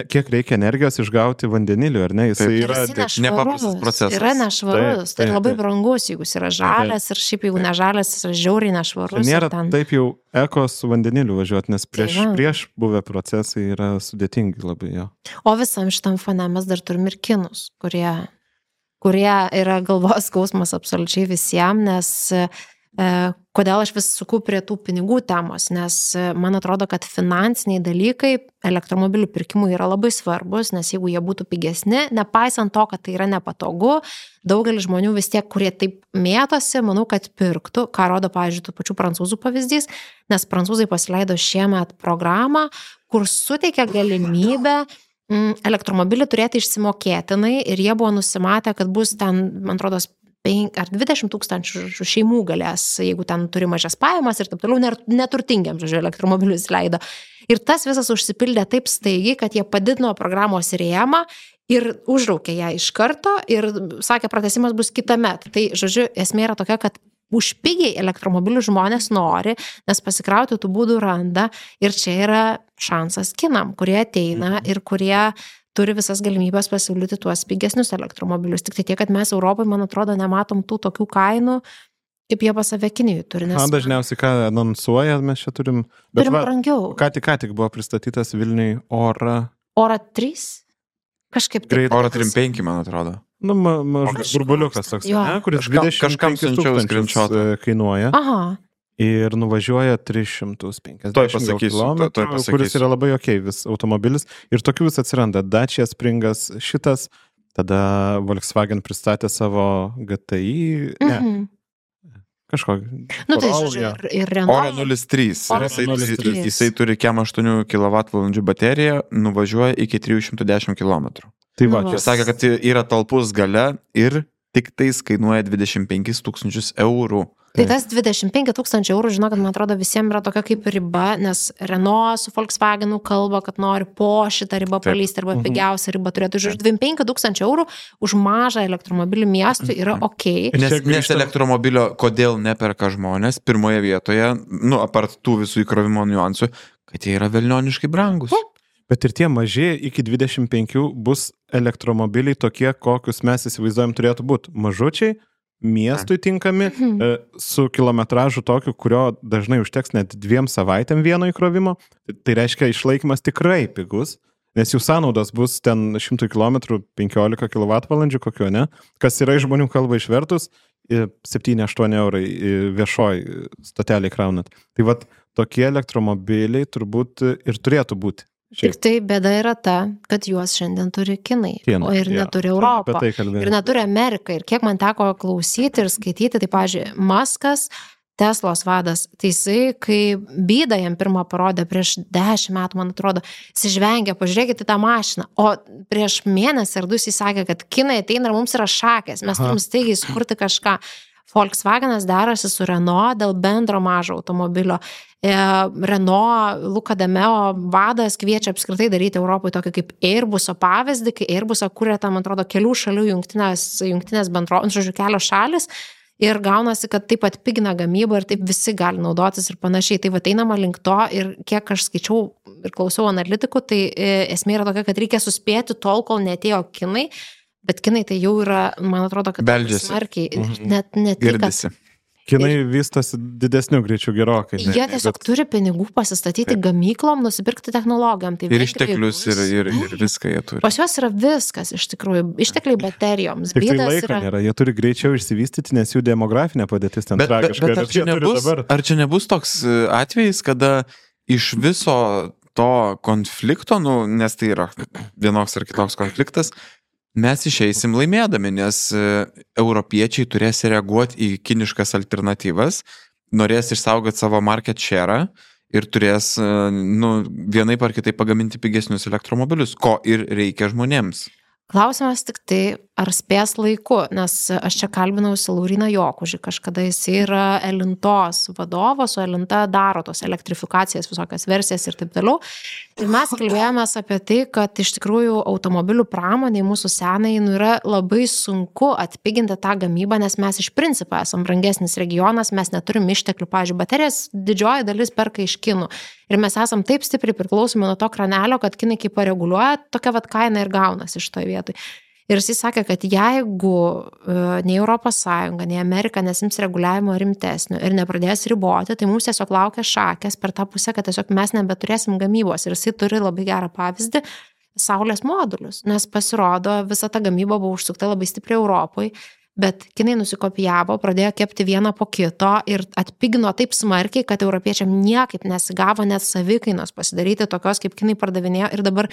kiek reikia energijos išgauti vandeniliu, ar ne? Jis yra nepaprastas procesas. Yra nešvarus, tai labai brangus, jeigu jis yra žalias ir šiaip jeigu nežalias, jis yra žiauriai nešvarus. Nėra taip jau eko su vandeniliu važiuoti, nes prieš buvę procesai yra sudėtingi labai jo. O visam šitam fone mes dar turim ir kinus, kurie yra galvos skausmas absoliučiai visiems, nes kodėl aš vis suku prie tų pinigų temos, nes man atrodo, kad finansiniai dalykai elektromobilių pirkimui yra labai svarbus, nes jeigu jie būtų pigesni, nepaisant to, kad tai yra nepatogu, daugelis žmonių vis tiek, kurie taip mėtosi, manau, kad pirktų, ką rodo, pavyzdžiui, tų pačių prancūzų pavyzdys, nes prancūzai pasileido šiemet programą, kur suteikia galimybę elektromobilį turėti išsimokėtinai ir jie buvo nusimatę, kad bus ten, man atrodo, 5 ar 20 tūkstančių šeimų galės, jeigu ten turi mažas pajamas ir taip toliau, neturtingiam, žodžiu, elektromobilius leido. Ir tas visas užsipildė taip staigiai, kad jie padidino programos rėmą ir užraukė ją iš karto ir sakė, pratęsimas bus kitąmet. Tai, žodžiu, esmė yra tokia, kad už pigiai elektromobilių žmonės nori, nes pasikrauti tų būdų randa ir čia yra šansas kinam, kurie ateina ir kurie turi visas galimybės pasiūlyti tuos pigesnius elektromobilius. Tik tai tiek, kad mes Europai, man atrodo, nematom tų tokių kainų, kaip jie pas save Kinijoj turi. Nes dažniausiai, ką anonsuoja, mes čia turim brangiau. Ką tik buvo pristatytas Vilniui Ora 3? Kažkaip taip. Ora 35, man atrodo. Nu, mažas burbuliukas toks, Jo. ne, kuris Kažkam 25 siunčiau 000 screenshotą. kainuoja Aha. ir nuvažiuoja 350 Tuoj pasakysiu, kilometrų, tuoj pasakysiu. kuris yra labai vis automobilis. Ir tokių vis atsiranda. Dacia Springas šitas, tada Volkswagen pristatė savo GTI, ne, Mhm. kažkokį. Nu, tai Corolla, žodžiu, jo. ir Oro Renault. 03. Oro Jisai, 03. jisai turi kem 8 kWh bateriją, nuvažiuoja iki 310 km. Tai va, Nu va. Ir sakė, kad yra talpus gale ir tik tais kainuoja 25 000 eurų. Tai tas 25 000 eurų, žinokit, man atrodo, visiems yra tokia kaip riba, nes Renault su Volkswagenu kalba, kad nori po šitą ribą Taip. palysti arba pigiausią ribą turėtų. Už 25 000 eurų už mažą elektromobilį miestui yra ok. Nes grįžtam- elektromobilio kodėl neperka žmonės pirmoje vietoje, nu, apart tų visų įkrovimo niuansų, kad jie yra velnioniškai brangus. Bet ir tie maži iki 25 bus elektromobiliai tokie, kokius mes įsivaizduojam turėtų būti. Mažučiai, miestui tinkami, su kilometražu tokiu, kurio dažnai užteks net 2 savaitėm vieno įkrovimo. Tai reiškia, išlaikymas tikrai pigus, nes jų sąnaudos bus ten 100 km 15 kWh kokio, ne? Kas yra iš žmonių kalba išvertus, 7-8 eurai viešoj stotelį kraunat. Tai vat tokie elektromobiliai turbūt ir turėtų būti. Tik tai bėda yra ta, kad juos šiandien turi Kinai, o ir neturi Europą. Apie tai kalbėjau. Ir neturi Amerika. Ir kiek man teko klausyti ir skaityti, tai, pavyzdžiui, Muskas, Teslos vadas, tai jisai, kai bydą jam pirmą parodė prieš 10 metų, man atrodo, jis žvengia, pažiūrėkite tą mašiną. O prieš mėnesį ar 2 jis sakė, kad Kinai ateina ir mums yra šakės, mes turim staigiai sukurti kažką. Volkswagenas derasi su Renault dėl bendro mažo automobilio. Renault, Luca de Meo vadas kviečia apskritai daryti Europoje tokį kaip Airbuso pavyzdį, kai Airbusą kūrė tam, atrodo, kelių šalių jungtinės bendrovės, žodžiu, kelios šalis. Ir gaunasi, kad taip atpigina gamybą ir taip visi gali naudotis ir panašiai. Tai va einama link to ir kiek aš skaičiau ir klausiau analitikų, tai esmė yra tokia, kad reikia suspėti tol, kol netėjo Kinai. Bet Kinai tai jau yra, man atrodo, kad Beldžiasi. smarkiai, net tai, kad Girdisi. Kinai vystosi didesnių greičių gerokai. jie tiesiog turi pinigų pasistatyti gamyklom, nusipirkti technologijom. Tai Ir vengrijai išteklius, bus- ir viską jie turi. Pas juos yra viskas, iš tikrųjų. Ištekliai baterijoms. Tik tai Bydas laiko yra. nėra, jie turi greičiau išsivystyti, nes jų demografinė padėtis ten tragiška. Bet ar čia nebus toks atvejis, kada iš viso to konflikto, nu, nes tai yra vienoks ar kitoks konfliktas, mes išeisim laimėdami, nes europiečiai turės reaguoti į kiniškas alternatyvas, norės išsaugoti savo market share ir turės, nu, vienaip ar kitaip pagaminti pigesnius elektromobilius, ko ir reikia žmonėms. Klausimas tik tai, ar spės laiku, nes aš čia kalbinausi Lauriną Jokužį, kažkada jis yra Elintos vadovas, o Elinta daro tos elektrifikacijas, visokias versijas ir taip toliau. Ir mes kalbėjomės apie tai, kad iš tikrųjų automobilių pramoniai mūsų senai yra labai sunku atpiginti tą gamybą, nes mes iš principo esam brangesnis regionas, mes neturim išteklių, pavyzdžiui, baterijas didžioji dalis perka iš Kinų. Ir mes esam taip stipriai priklausomi nuo to kranelio, kad Kinai kaip pareguliuoja, tokia vat kaina ir gaunasi iš toje vietoje. Ir jis sakė, kad jeigu nei Europos Sąjunga, nei Amerika nesims reguliavimo rimtesnio ir nepradės riboti, tai mums tiesiog laukia šakės per tą pusę, kad tiesiog mes nebeturėsim gamybos. Ir jisai turi labai gerą pavyzdį - saulės modulius, nes pasirodo visa ta gamyba buvo užsukta labai stipriai Europoje. Bet Kinai nusikopijavo, pradėjo kepti vieną po kito ir atpigino taip smarkiai, kad europiečiam niekaip nesigavo net savikainos pasidaryti tokios, kaip Kinai pardavinėjo. Ir dabar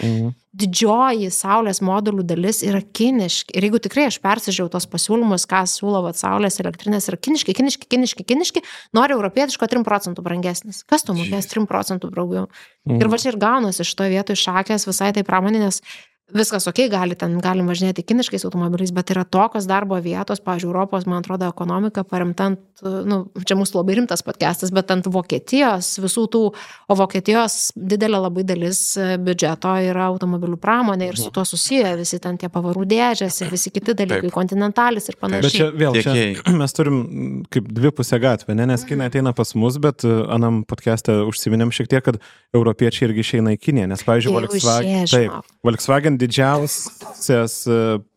didžioji saulės modulių dalis yra kiniški. Ir jeigu tikrai aš persižiūrėjau tos pasiūlymus, ką siūlo saulės elektrinės, yra kiniški, nori europietiško 3 procentų brangesnis. Kas tu mokės 3 procentų brangiau? Ir va čia ir gaunasi iš to vietoj šakės visai tai pramoninės. Viskas ok, galim važinėti kiniškais automobiliais, bet yra tokios darbo vietos, pavyzdžiui, Europos, man atrodo, ekonomika paremta ant, nu, čia mūsų labai rimtas podcastas, bet ant Vokietijos visų tų, o Vokietijos didelė labai dalis biudžeto yra automobilių pramonė ir su tuo susiję visi ten tie pavarų dėžės ir visi kiti dalykai, kontinentalis ir panašiai. Bet čia vėl, čia mes turim kaip dvipusę gatvę, ne? Nes Kinai ateina pas mus, bet anam podcast'e užsiminėm šiek tiek, kad europiečiai irgi išeina į Kiniją, nes, pavyzdžiui, Volkswagen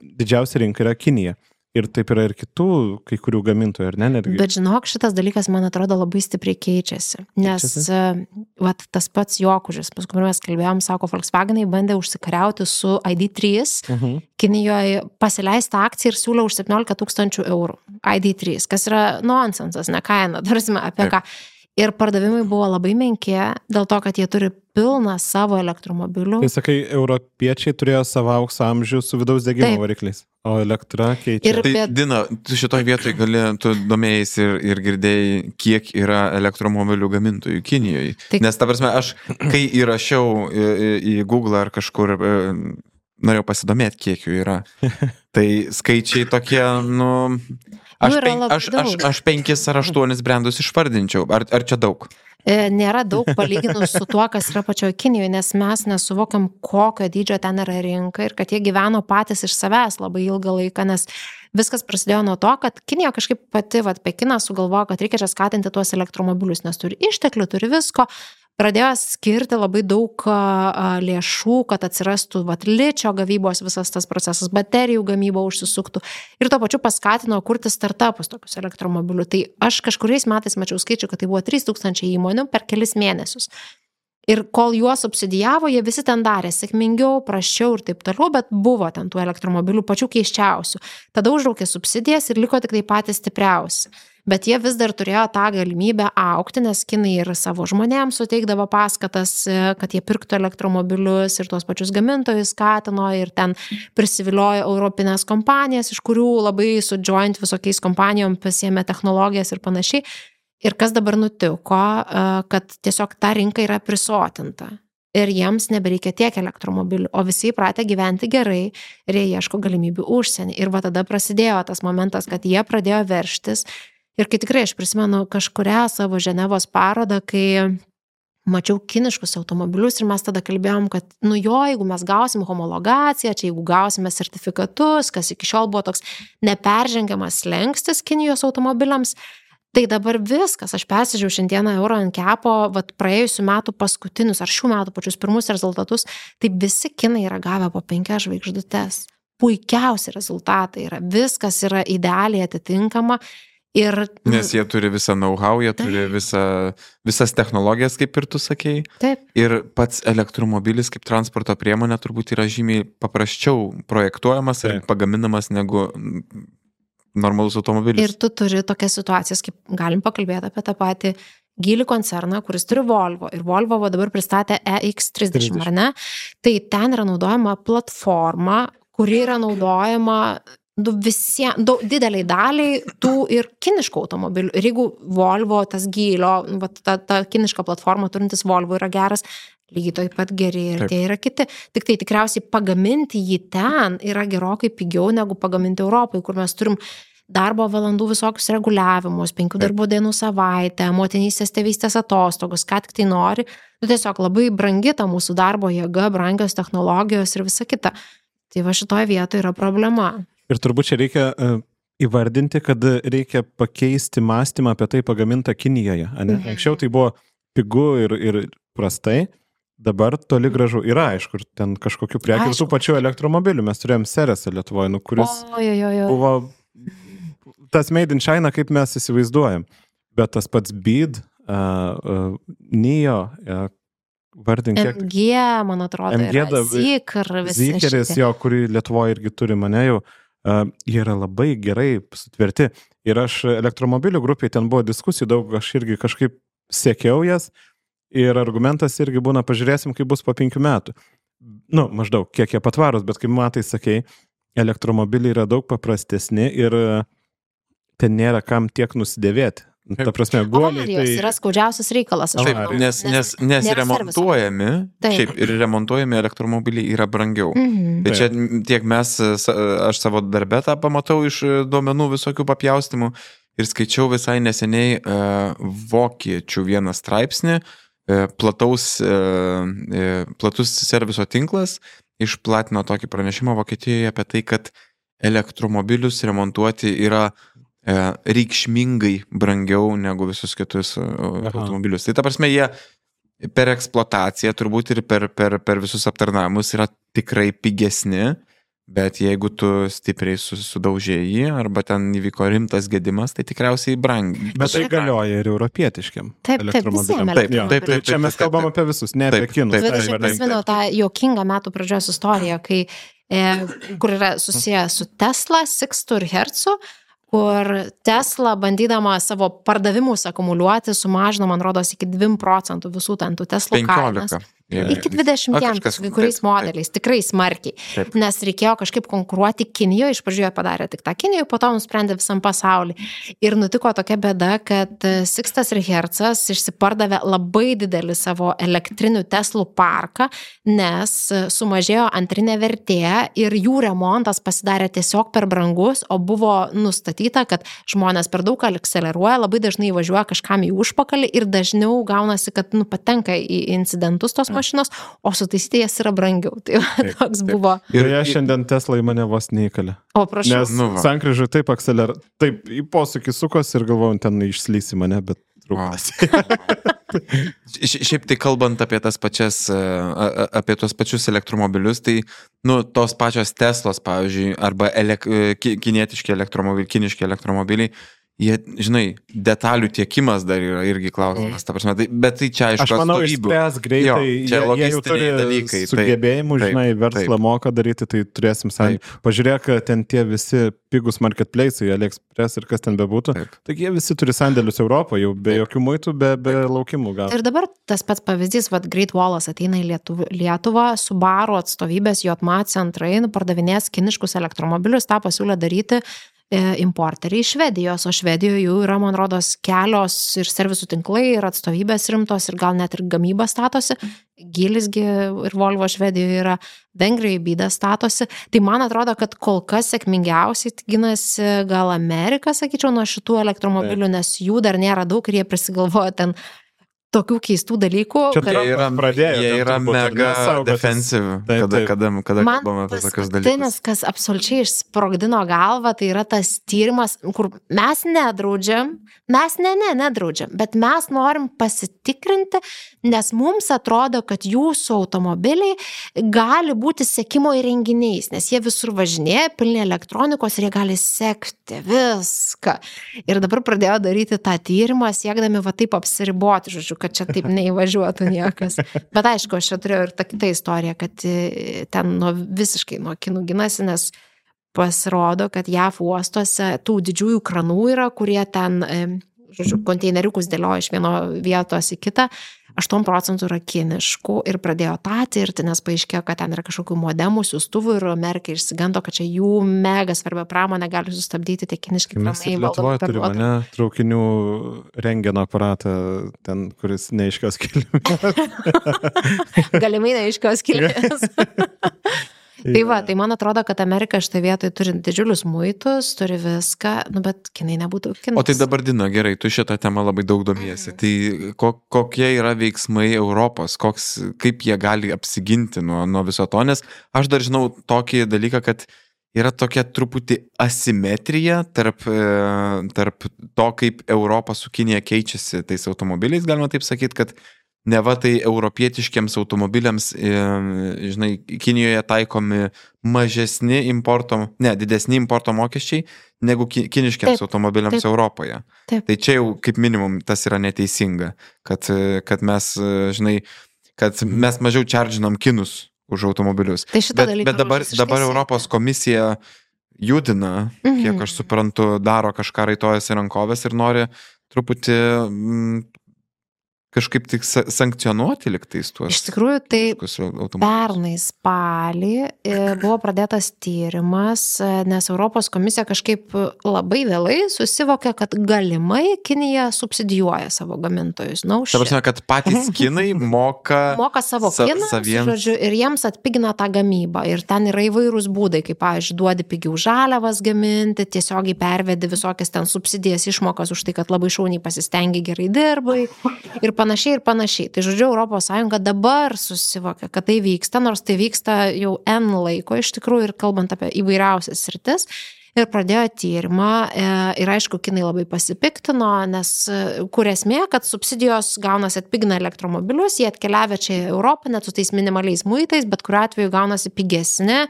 didžiausia rinka yra Kinija. Ir taip yra ir kitų, kai kurių gamintojų, ar ne? Netgi. Bet žinok, šitas dalykas, man atrodo, labai stipriai keičiasi. Nes vat, tas pats Jokužis, paskui mes kalbėjom, sako, Volkswagenai bandė užsikariauti su ID3, Kinijoje pasileisti akciją ir siūlė už 17 000 eurų ID3, kas yra nonsensas, ne kaina, tarsime apie ką. Ir pardavimai buvo labai menki, dėl to, kad jie turi pilną savo elektromobilių. Tai sakai, europiečiai turėjo savo aukso amžių su vidaus degimo varikliais, o elektra keičia. Tai Dina, tu šitoj vietoj tu domėjais ir girdėjai, kiek yra elektromobilių gamintojų Kinijoje. Nes, ta prasme, aš, kai įrašiau į Google ar kažkur, norėjau pasidomėti, kiek jų yra. Tai skaičiai tokie, Aš 5 ar 8 brandus išvardinčiau. Ar čia daug? Nėra daug palyginus su tuo, kas yra pačioje Kinijoje, nes mes nesuvokiam, kokio dydžio ten yra rinka ir kad jie gyveno patys iš savęs labai ilgą laiką, nes viskas prasidėjo nuo to, kad Kinija kažkaip pati, Pekinas sugalvojo, kad reikia čia skatinti tuos elektromobilius, nes turi išteklių, turi visko. Pradėjo skirti labai daug lėšų, kad atsirastų ličio gavybos visas tas procesas, baterijų gamyba užsisuktų ir tuo pačiu paskatino kurti startupus tokius elektromobilių. Tai aš kažkuriais metais mačiau skaičių, kad tai buvo 3000 įmonių per kelis mėnesius. Ir kol juos subsidijavo, jie visi ten darė sėkmingiau, prasčiau ir taip toliau, bet buvo ten tų elektromobilių pačių keiščiausių. Tada užraukė subsidijas ir liko tik tai patys stipriausi. Bet jie vis dar turėjo tą galimybę augti, nes kinai ir savo žmonėms suteikdavo paskatas, kad jie pirktų elektromobilius ir tuos pačius gamintojus skatino ir ten prisiviliojo europinės kompanijas, iš kurių labai su joint visokiais kompanijom pasiėmė technologijas ir panašiai. Ir kas dabar nutiko, kad tiesiog ta rinka yra prisotinta. Ir jiems nebereikia tiek elektromobilių, o visi įpratę gyventi gerai ir jie ieško galimybių užsienį. Ir tada prasidėjo tas momentas, kad jie pradėjo verštis. Ir kai tikrai aš prisimenu kažkurią savo Ženevos parodą, kai mačiau kiniškus automobilius ir mes tada kalbėjom, kad jeigu mes gausim homologaciją, čia jeigu gausime sertifikatus, kas iki šiol buvo toks neperžengiamas slengstis Kinijos automobiliams, tai dabar viskas, aš persižiūrėjau šiandieną Euro NCAP-o, praėjusių metų paskutinius ar šių metų pačius pirmus rezultatus, tai visi kinai yra gavę po 5 žvaigždutes. Puikiausi rezultatai yra, viskas yra idealiai atitinkama. Nes jie turi visą know-how, jie turi visas technologijas, kaip ir tu sakei. Taip. Ir pats elektromobilis kaip transporto priemonė turbūt yra žymiai paprasčiau projektuojamas ir pagaminamas negu normalus automobilis. Ir tu turi tokias situacijas, kaip galim pakalbėti apie tą patį Geely koncerną, kuris turi Volvo. Ir Volvo dabar pristatė EX30, ar ne? Tai ten yra naudojama platforma, kuri yra naudojama dideliai daliai tų ir kiniškų automobilių. Ir jeigu Volvo, tas Geelio, ta kiniška platforma turintis Volvo yra geras, lygiai taip pat geri ir tie yra kiti. Tik tai tikriausiai pagaminti jį ten yra gerokai pigiau negu pagaminti Europai, kur mes turim darbo valandų visokius reguliavimus, 5 darbo dienų savaitę, motinystės tėvystės atostogos, ką tik tai nori. Tiesiog labai brangi ta mūsų darbo jėga, brangios technologijos ir visa kita. Tai šitoje vietoje yra problema. Ir turbūt čia reikia įvardinti, kad reikia pakeisti mąstymą apie tai pagamintą Kinijoje. Anksčiau tai buvo pigu ir prastai, dabar toli gražu yra, aišku, ten kažkokių prekių ir tų pačių elektromobilių. Mes turėjom Seresą Lietuvoje, kuris buvo tas made in China, kaip mes įsivaizduojam. Bet tas pats Beed, NIO, vardink kiek. MG, man atrodo, yra Zikeris, kurį Lietuvoje irgi turi mane jau. Jie yra labai gerai sutverti. Ir aš elektromobilių grupiai ten buvo diskusijų daug, aš irgi kažkaip sekiau jas ir argumentas irgi būna, pažiūrėsim, kaip bus po 5 metų. Maždaug, kiek jie patvarus, bet kaip matai, sakei, elektromobiliai yra daug paprastesni ir ten nėra kam tiek nusidėvėti. Ta prasme, guoliai. Tai yra skaudžiausias reikalas. Taip, nes remontuojami, šiaip ir remontuojami elektromobiliai yra brangiau. Bet čia tiek aš savo darbę tą pamatau iš duomenų visokių papjaustimų ir skaičiau visai neseniai vokiečių vieną straipsnį, platus serviso tinklas išplatino tokį pranešimą Vokietijoje apie tai, kad elektromobilius remontuoti yra reikšmingai brangiau negu visus kitus automobilius. Tai ta prasme, jie per eksploataciją turbūt ir per visus aptarnavimus yra tikrai pigesni, Bet jeigu tu stipriai sudaužėjai arba ten įvyko rimtas gedimas, tai tikriausiai brangiai. Bet tai galioja ir europietiškiam elektromobiliam. Taip. Čia mes kalbam apie visus, ne apie kinus. Aš prisimenu tą juokingą metų pradžios istoriją, kai, kur yra susiję su Tesla, Sixtu ir Hertzu, kur Tesla, bandydama savo pardavimus akumuliuoti, sumažino, man rodos, iki 2% visų tų Teslų kainas. Iki 20 kai kuriais modeliais, tikrai smarkiai. Taip. Nes reikėjo kažkaip konkuruoti Kinijoje, iš pradžioje padarė tik tą Kinijoje, po to nusprendė visam pasaulį. Ir nutiko tokia bėda, kad Sixtas ir Hertzas išsipardavė labai didelį savo elektrinių Teslų parką, nes sumažėjo antrinė vertė ir jų remontas pasidarė tiesiog per brangus, o buvo nustatyta, kad žmonės per daug akseleruoja, labai dažnai važiuoja kažkam į užpakalį ir dažniau gaunasi, kad patenka į incidentus tos mašinos, o sutaisyti jas yra brangiau. Tai toks buvo. Ir jie šiandien Tesla į mane vos neįkalė. O prašau. Nes sankryžai taip taip į posūkį sukos ir galvojom, ten išslys į mane, bet trūkas. Šiaip tai kalbant apie tas pačias, apie tos pačius elektromobilius, tai, tos pačios Teslos, pavyzdžiui, arba kiniški elektromobiliai, jie, žinai, detalių tiekimas dar yra irgi klausimas, ta prasme, bet tai čia aišku. Aš manau, išspręs greitai, čia jie jau turi dalykai, sugebėjimų, žinai, verslą moka daryti, tai turėsim sąjungą. Pažiūrėk, ten tie visi pigus marketplace'ai, AliExpress ir kas ten bebūtų, taigi jie visi turi sandėlius Europoje, jau be jokių muitų, be laukimų gal. Ir dabar tas pats pavyzdys, Great Wallas ateina į Lietuvą, Subaru atstovybės JOTMA centrai pardavinės kiniškus elektromobilius, tą pasiūlė daryti importeriai iš Švedijos, o Švedijoje jau yra, man rodos, kelios ir servisų tinklai, ir atstovybės rimtos, ir gal net ir gamyba statosi. Gilisgi ir Volvo Švedijoje yra, Vengrijoje Bida statosi. Tai man atrodo, kad kol kas sėkmingiausiai ginasi gal Amerika, sakyčiau, nuo šitų elektromobilių, nes jų dar nėra daug ir jie prisigalvoja ten tokių keistų dalykų. Jie yra mega defensive, kada kalbame apie tokius dalykus. Man kas absoliučiai išsprogdino galvą, tai yra tas tyrimas, kur mes nedraudžiam, bet mes norim pasitikrinti, nes mums atrodo, kad jūsų automobiliai gali būti sekimo įrenginiais, nes jie visur važinėja, pilni elektronikos ir jie gali sekti viską. Ir dabar pradėjo daryti tą tyrimą, siekdami taip apsiriboti, žodžiu, kad čia taip neįvažiuotų niekas. Bet aišku, aš čia turėjau ir tą kitą istoriją, kad ten visiškai nuo kinų ginasi, nes pasirodo, kad JAV uostuose tų didžiųjų kranų yra, kurie ten, žodžiu, konteineriukus dėlioja iš vieno vietos į kitą, 8% yra kiniškų ir pradėjo tą tirti, nes paaiškėjo, kad ten yra kažkokių modemų, siųstuvų ir Amerika išsigando, kad čia jų mega svarbia pramonė gali sustabdyti tie kiniški kranai. Mes Lietuvoje turime, ne, traukinių rentgeno aparatą, ten, kuris neaiškios kilmės. Galimai neaiškios kilmės. Tai man atrodo, kad Amerika šitą vietą turi didžiulius muitus, turi viską, bet kinai nebūtų kinas. O tai dabar, Dina, gerai, tu šitą temą labai daug domiesi. Tai kokie yra veiksmai Europos, kaip jie gali apsiginti nuo viso to, nes aš dar žinau tokį dalyką, kad yra tokia truputį asimetrija tarp to, kaip Europa su Kinija keičiasi tais automobiliais, galima taip sakyti, kad neva tai europietiškiams automobiliams, žinai, Kinijoje taikomi didesni importo mokesčiai negu kiniškiams automobiliams Europoje. Taip. Tai čia jau kaip minimum tas yra neteisinga, kad mes, žinai, kad mes mažiau čardžinom kinus už automobilius. Tai bet dabar Europos komisija judina, kiek aš suprantu, daro kažką raitojasi rankovės ir nori truputį kažkaip tik sankcionuoti liktais tuos. Iš tikrųjų, tai pernai spalį buvo pradėtas tyrimas, nes Europos komisija kažkaip labai vėlai susivokė, kad galimai Kinija subsidijuoja savo gamintojus. Ta prasme, kad patys kinai moka savo kinams, žodžiu, ir jiems atpigina tą gamybą. Ir ten yra įvairūs būdai, kaip, pavyzdžiui, duodi pigiau žaliavas gaminti, tiesiogiai pervedi visokias ten subsidijas, išmokas už tai, kad labai šauniai pasistengi, gerai dirbai. Ir panašiai. Tai žodžiu, Europos Sąjunga dabar susivokia, kad tai vyksta, nors tai vyksta jau N laiko iš tikrųjų ir kalbant apie įvairiausias sritis. ir pradėjo tyrimą ir aišku, kinai labai pasipiktino, nes kur esmė, kad subsidijos gaunasi atpigina elektromobilius, jie atkeliavę čia į Europą net su tais minimaliais muitais, bet kuriuo atveju gaunasi pigesni,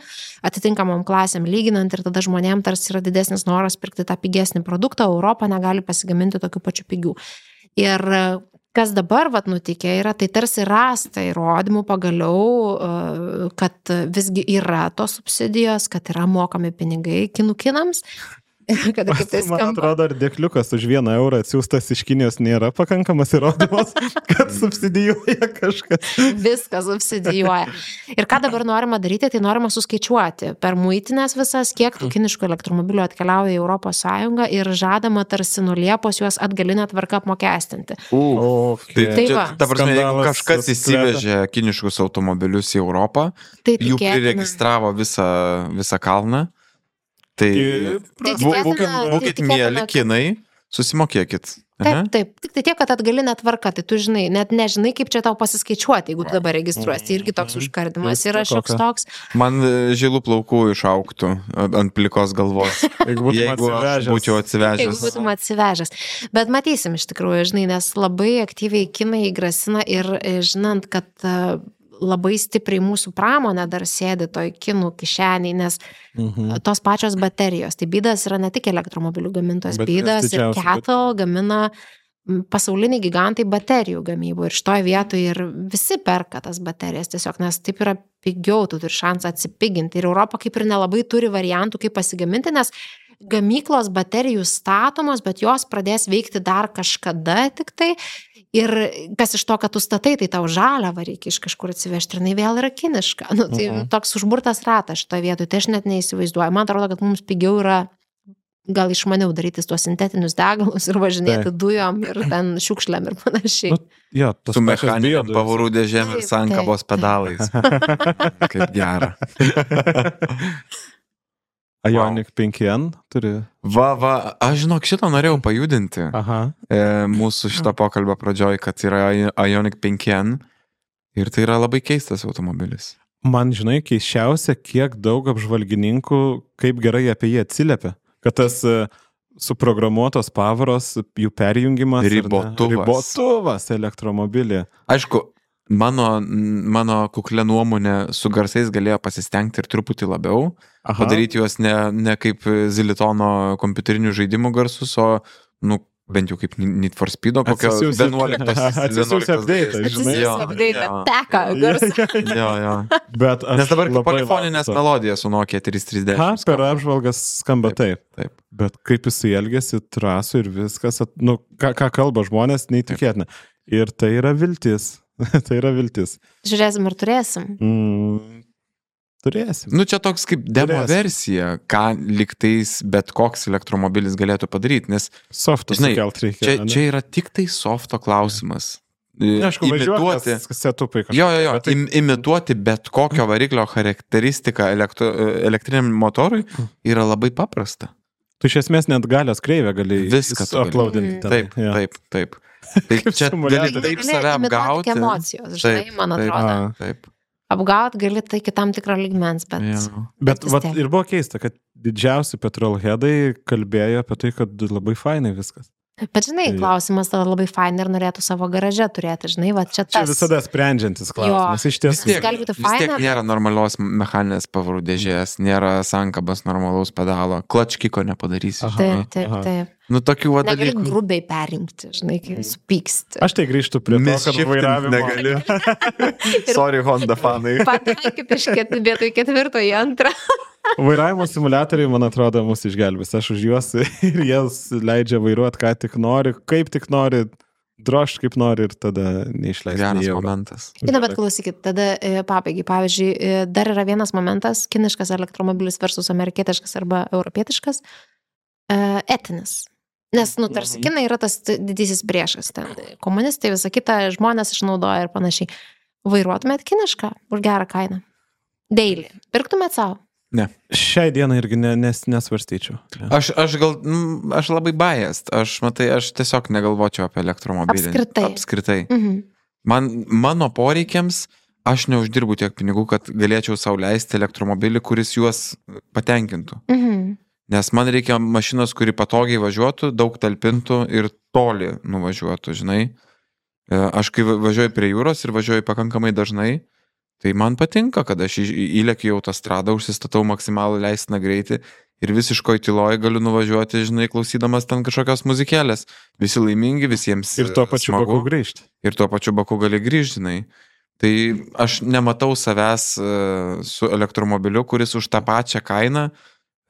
atitinkamom klasėm lyginant ir tada žmonėm tarsi yra didesnis noras pirkti tą pigesnį produktą, Europą negali pasigaminti tokių pačių pigių. Ir kas dabar nutikė yra, tai tarsi rasta įrodymų pagaliau, kad visgi yra tos subsidijos, kad yra mokami pinigai kinams. Kada kaip tai skamba. Man atrodo, ar dėkliukas už 1 eurą atsiųstas iš Kinijos nėra pakankamas įrodymas, kad subsidijuoja kažkas. Viskas subsidijuoja. Ir ką dabar norima daryti, tai norima suskaičiuoti per muitinės visas, kiek tų kiniškų elektromobilių atkeliauja į Europos Sąjungą ir žadama tarsi nuo Liepos juos atgalinę tvarką apmokestinti. Okay. Tai čia, ta prasme, jeigu kažkas įsivežė kiniškus automobilius į Europą, tai jų priregistravo visą kalną, tai būkit mėly kinai, susimokėkit. Taip. Tik tai tiek, kad atgalinė tvarka, tai tu žinai, net nežinai, kaip čia tau pasiskaičiuoti, jeigu tu dabar registruosi. Tai irgi toks užkardimas yra šioks toks. Man žilų plaukų išauktų ant plikos galvos, jeigu būčiau atsivežęs. Jeigu būtum atsivežęs. Bet matysim iš tikrųjų, žinai, nes labai aktyviai kinai grasina ir žinant, kad labai stipriai mūsų pramonė dar sėdi toj kinų kišeniai, nes tos pačios baterijos. Tai BYDas yra ne tik elektromobilių gamintojas, BYDas ir Kettle gamina pasauliniai gigantai baterijų gamybų. Ir šitoje vietoje ir visi perka tas baterijas tiesiog, nes taip yra pigiau, tu turi šansą atsipiginti. Ir Europa kaip ir nelabai turi variantų, kaip pasigaminti, nes gamyklos baterijų statomos, bet jos pradės veikti dar kažkada tik tai. Ir kas iš to, kad tu statai, tai tau žaliavą reikia iš kažkur atsivežti, ir jinai vėl yra kiniška. Tai toks užburtas ratas šitoje vietoje, tai aš net neįsivaizduoju. Man atrodo, kad mums pigiau yra gal išmaniau daryti tuos sintetinius degalus ir važinėti dujom ir ten šiukšlėm ir panašiai. Su mechaniniam pavarų dėžėm ir sankabos pedalais. Kaip gera. Ioniq 5N turi. Aš žinok, šitą norėjau pajudinti. Mūsų šitą pokalbą pradžioj, kad yra Ioniq 5N ir tai yra labai keistas automobilis. Man, žinai, keisčiausia, kiek daug apžvalgininkų, kaip gerai apie jį atsiliepia. Kad tas suprogramuotos pavaros, jų perjungimas. Ribotuvas elektromobilį. Aišku, mano kuklė nuomonė su garsais galėjo pasistengti ir truputį labiau, padaryti juos ne kaip Zilitono kompiuterinių žaidimų garsus, o bent jau kaip Need for Speedo kokio 11. Atsisiųsi update, žinai. Atsisiųsi teka garsą. Nes dabar polifoninės melodijas su Nokia 3310. Per apžvalgas skamba taip. Bet kaip jisai elgėsi trasų ir viskas, ką kalba žmonės, neįtikėtina. Ir tai yra viltis. Tai yra viltis. Žiūrėsim ir turėsim. Turėsim. Čia toks kaip demo versija, ką liktais bet koks elektromobilis galėtų padaryti, nes softo sukelt reikia. Čia yra tik tai softo klausimas. Aišku, važiuoti setupai kažką. Imituoti bet kokio variklio charakteristiką elektriniam motorui yra labai paprasta. Tu iš esmės net galios kreivę gali viską uploadinti. Taip. Tai čia gali taip save apgauti. Emocijos, žinai, man atrodo. Taip. Apgaut gali tai iki tam tikro lygmens, bet ir buvo keista, kad didžiausi petrolheadai kalbėjo apie tai, kad labai fainai viskas. Bet žinai, klausimas tada labai fainai ir norėtų savo garaže turėti, žinai, čia tas. Čia visada sprendžiantis klausimas, iš tiesų. Vis tiek nėra normalios mechaninės pavarų dėžės, nėra sankabos normalaus pedalo, klačkiko nepadarysi. Taip. Tokių dalykų. Negali grubiai perinkti, žinai, kai supyksti. Aš tai grįžtu prie to, kad vairavimo negali. Sorry, Honda fanai. Pataikit iš vietoj 4 į 2. Vairavimo simuliatoriai, man atrodo, mus išgelbės. Aš už juos ir jas leidžia vairuoti, ką tik nori, kaip tik nori, drožt kaip nori ir tada neišleisti. Geras momentas. Bet klausykit, tada pabaigai. Pavyzdžiui, dar yra vienas momentas, kiniškas elektromobilis versus amerikietiškas arba europietiškas, etinis. Nes, tarsi kinai yra tas didysis priešas. Ten komunistai, visą kitą žmonės išnaudoja ir panašiai. Vairuotumėt kinišką už gerą kainą? Daily. Pirktumėt savo? Ne. Šiai dienai irgi nesvarstyčiau. Aš labai biased. Aš tiesiog negalvočiau apie elektromobilį. Apskritai. Mano poreikiams aš neuždirbu tiek pinigų, kad galėčiau sau leisti elektromobilį, kuris juos patenkintų. Nes man reikia mašinos, kuri patogiai važiuotų, daug talpintų ir toli nuvažiuotų, žinai. Aš kai važiuoju prie jūros ir važiuoju pakankamai dažnai, tai man patinka, kad aš įlėkiu į autostradą, užsistatau maksimalų leistiną greitį ir visiškoj tyloj galiu nuvažiuoti, žinai, klausydamas ten kažkokios muzikėlės. Visi laimingi, visiems Ir tuo pačiu smagu. baku grįžti. Ir tuo pačiu baku gali grįžti, žinai. Tai aš nematau savęs su elektromobiliu, kuris už tą pačią kainą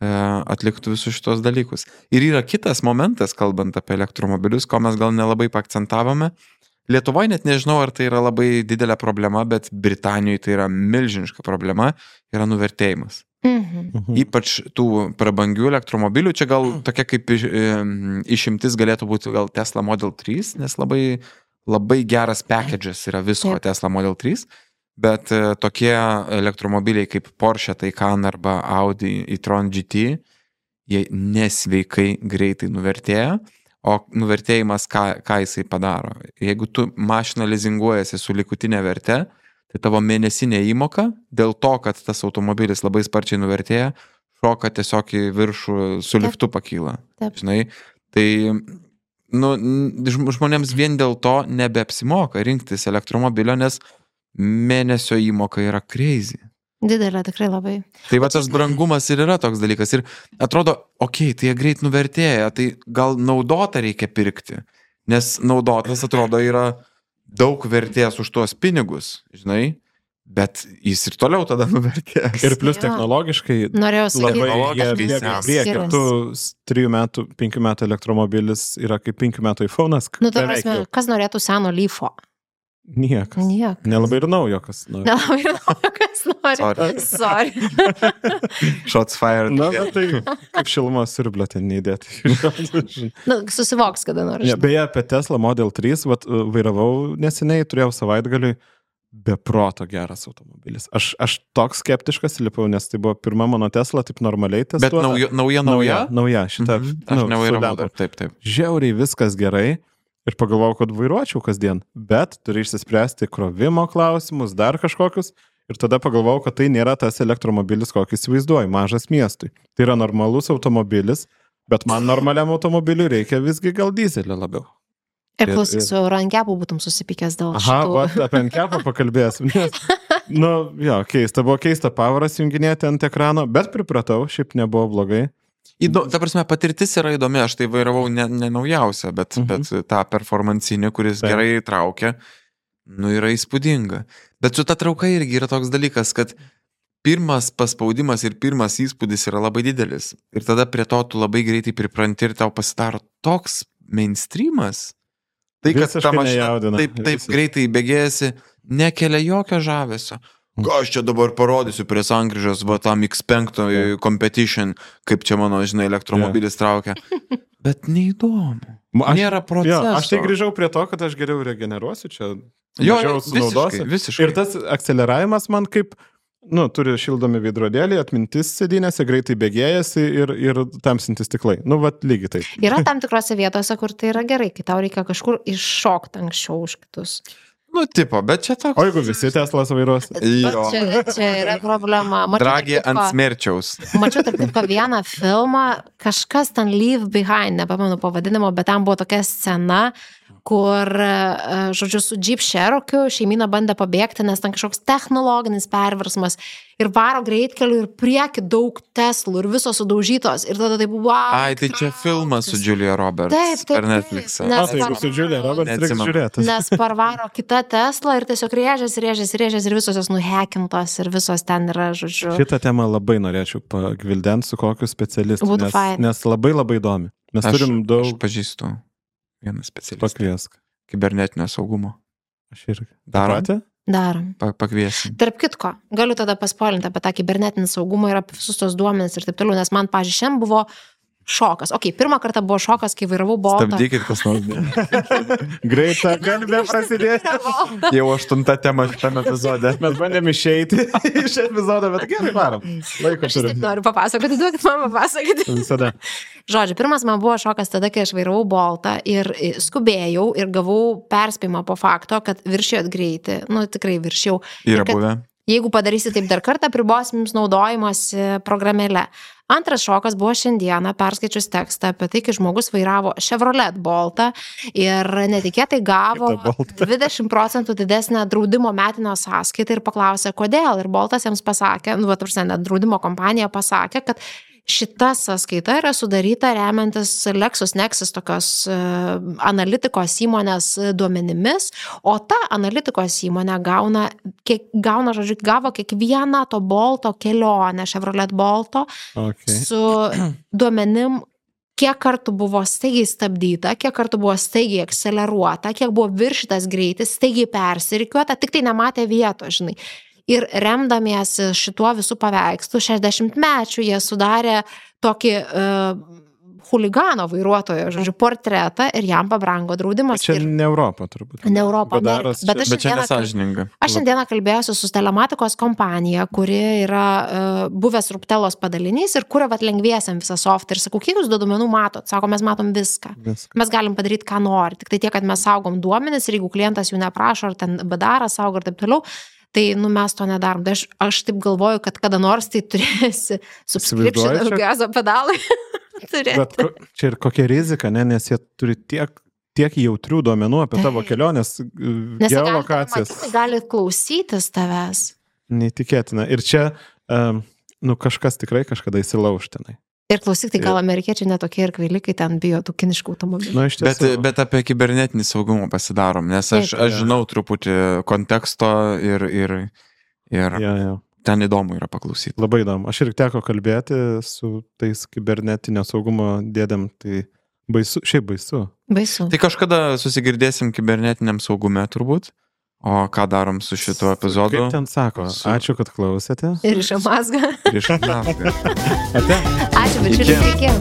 atliktų visus šitos dalykus. Ir yra kitas momentas, kalbant apie elektromobilius, ko mes gal nelabai pakcentavome. Lietuvoje net nežinau, ar tai yra labai didelė problema, bet Britanijoje tai yra milžiniška problema, yra nuvertėjimas. Ypač tų prabangių elektromobilių, čia gal tokia kaip išimtis galėtų būti gal Tesla Model 3, nes labai geras package'as yra visko Tesla Model 3, bet tokie elektromobiliai kaip Porsche Taycan arba Audi e-tron GT, jie nesveikai greitai nuvertėja, o nuvertėjimas ką jisai padaro. Jeigu tu mašiną lizinguojasi su likutinė verte, tai tavo mėnesinė įmoka, dėl to, kad tas automobilis labai sparčiai nuvertėja, šoka tiesiog į viršų su liftu pakyla. Žinai, tai žmonėms vien dėl to nebeapsimoka rinktis elektromobilio, nes mėnesio įmoka yra crazy. Didelė, tikrai labai. Tai va tas brangumas ir yra toks dalykas. Ir atrodo, tai jie greit nuvertėja, tai gal naudotą reikia pirkti. Nes naudotas, atrodo, yra daug vertės už tuos pinigus, žinai, bet jis ir toliau tada nuvertės. Ir plus technologiškai Technologiškai priekį. Tu 3 metų, 5 metų elektromobilis yra kaip 5 metų iPhone'as. Nu, ta prasme, kas norėtų seno Leafo? Niekas. Nelabai ir naujo, kas nori. Nelabai ir naujo, kas nori. Sorry. Shots fired. Na, tai kaip šilumos siurblio ten neįdėti. Susivoks, kada nori. Beje, apie Tesla Model 3, vairavau neseniai, turėjau savaitgaliui, beproto geras automobilis. Aš toks skeptiškas lipau, nes tai buvo pirma mano Tesla, taip normaliai testuota. Bet nauja? Nauja, šitą. Aš nevairavau dar, taip. Žiauriai viskas gerai. Ir pagalvojau, kad vairuočiau kasdien, bet turi išsispręsti krovimo klausimus, dar kažkokius. Ir tada pagalvojau, kad tai nėra tas elektromobilis, kokį įsivaizduoju, mažas miestui. Tai yra normalus automobilis, bet man normaliam automobiliui reikia visgi gal dizelio labiau. Ir klausyk, su Eurankepų būtum susipykęs dėl šitų. Apie Eurankepą pakalbėsim. Keista, buvo keista pavaras junginėti ant ekrano, bet pripratau, šiaip nebuvo blogai. Ta prasme, patirtis yra įdomi, aš tai vairavau ne naujausią, bet tą performancinį, kuris gerai traukia, yra įspūdinga. Bet su ta trauka irgi yra toks dalykas, kad pirmas paspaudimas ir pirmas įspūdis yra labai didelis. Ir tada prie to tu labai greitai pripranti ir tau pasidaro toks mainstreamas. Tai, kad ta mašina taip greitai bėgėjasi, nekelia jokio žavesio. Ką aš čia dabar parodysiu prie sankryžos, tam X5 competition, kaip čia mano, žinai, elektromobilis traukia. Bet neįdomu. Nėra proceso. Aš tai grįžau prie to, kad aš geriau regeneruosiu čia. Mažiau sunaudosiu. Visiškai. Ir tas akceleravimas man kaip, turi šildomi veidrodėlį, atmintis sėdynėse, greitai bėgėjasi ir tamsintis stiklai. Lygiai taip. Yra tam tikrose vietose, kur tai yra gerai, kai tau reikia kažkur iššokti anksčiau už kitus. Bet čia toks. O jeigu visi Teslas vairuos? Čia yra problema. Dragė ant smerčiaus. Mačiau tarp kitko vieną filmą, kažkas ten Leave Behind, nepamenu pavadinimo, bet tam buvo tokia scena, kur, žodžiu, su Jeep Cherokee šeimyna bandė pabėgti, nes ten kažkoks technologinis perversmas ir varo greitkeliu ir prieki daug Teslų ir visos sudaužytos ir tada tai buvo... Ai, tai čia filmas su Julia Roberts. Taip. Per Netflixą. Tai su Julia Roberts reikia žiūrėti. Nes parvaro kita Tesla ir tiesiog rėžės ir visos jos nuhekintos ir visos ten yra, žodžiu. Šitą temą labai norėčiau pagvildenti su kokiu specialistu, nes labai labai įdomi. Mes turim daug... Aš pažįstu vieną specialistą. Pakviesk. Kibernetinio saugumo. Aš irgi. Darom. Pakviesim. Tarp kitko, galiu tada paspoilinti apie tą kibernetinį saugumą ir apie visus tos duomenis ir taip toliau, nes man, pavyzdžiui, šiandien buvo šokas. Pirmą kartą buvo šokas, kai vairavau Boltą. Stabdykit, kas nors. Greita kalbė prasidėti. Jau 8 tema šitame epizode. Mes bandėm išeiti iš epizodo, bet gerai varom. Laiko turim. Aš noriu papasakoti, duokit man papasakoti. Visada. Žodžiu, pirmas man buvo šokas tada, kai aš vairavau Boltą ir skubėjau ir gavau perspėjimą po fakto, kad viršėjot greitį. Tikrai viršėjau. Yra buvę. Jeigu padarysi taip dar kartą, pribosim jums naudojimosi programėle. Antras šokas buvo šiandieną, perskaičius tekstą apie tai, kai žmogus vairavo Chevrolet Boltą ir netikėtai gavo 20% didesnę draudimo metinio sąskaitą ir paklausė, kodėl. Ir Boltas jiems pasakė, draudimo kompanija pasakė, kad šita sąskaita yra sudaryta remiantis LexisNexis tokios analitikos įmonės duomenimis, o ta analitikos įmonė gavo kiekvieną to Bolto kelionę, Chevrolet Bolto, su duomenim, kiek kartų buvo staigiai stabdyta, kiek kartų buvo staigiai akceleruota, kiek buvo viršytas greitis, staigiai persirikiuota, tik tai nematė vietos, žinai. Ir remdamiesi šituo visų paveikslų, 60-mečių jie sudarė tokį chuligano vairuotojo, portretą ir jam pabrango draudimas. Čia ne Europa turbūt. Ne Europa, bet čia nesąžininga. Aš šiandieną kalbėjausi su telematikos kompanija, kuri yra buvęs Ruptelos padalinys ir kuria lengviesiam visą softą. Ir sakau, kiek jūs duomenų matot? Sako, mes matom viską. Mes galim padaryti, ką nori. Tik tai tiek, kad mes saugom duomenis ir jeigu klientas jų neprašo, ar ten BDR saugo ir taip toliau, tai mes to nedarom. Tai aš taip galvoju, kad kada nors tai turėsi subscription gazo pedalai. Bet čia ir kokia rizika, nes jie turi tiek jautrių duomenų apie tavo kelionės, geolokacijas. Nes gali klausytis tavęs. Neįtikėtina. Ir čia kažkas tikrai kažkada įsilaužtinai. Ir klausyk, tai gal amerikiečiai netokie ir kvaili, kai ten bijo tų kiniškų automobilių. Bet apie kibernetinį saugumą pasidarom, nes aš žinau truputį konteksto ir ten įdomu yra paklausyti. Labai įdomu. Aš ir teko kalbėti su tais kibernetinio saugumo dėdėm, tai baisu, šiaip baisu. Baisu. Tai kažkada susigirdėsim kibernetiniam saugume turbūt. O ką darom su šituo epizodu? Kaip ten sako? Ačiū, kad klausėte. Ir iš Amazga. Ate. Ačiū, bičiuliai, iki.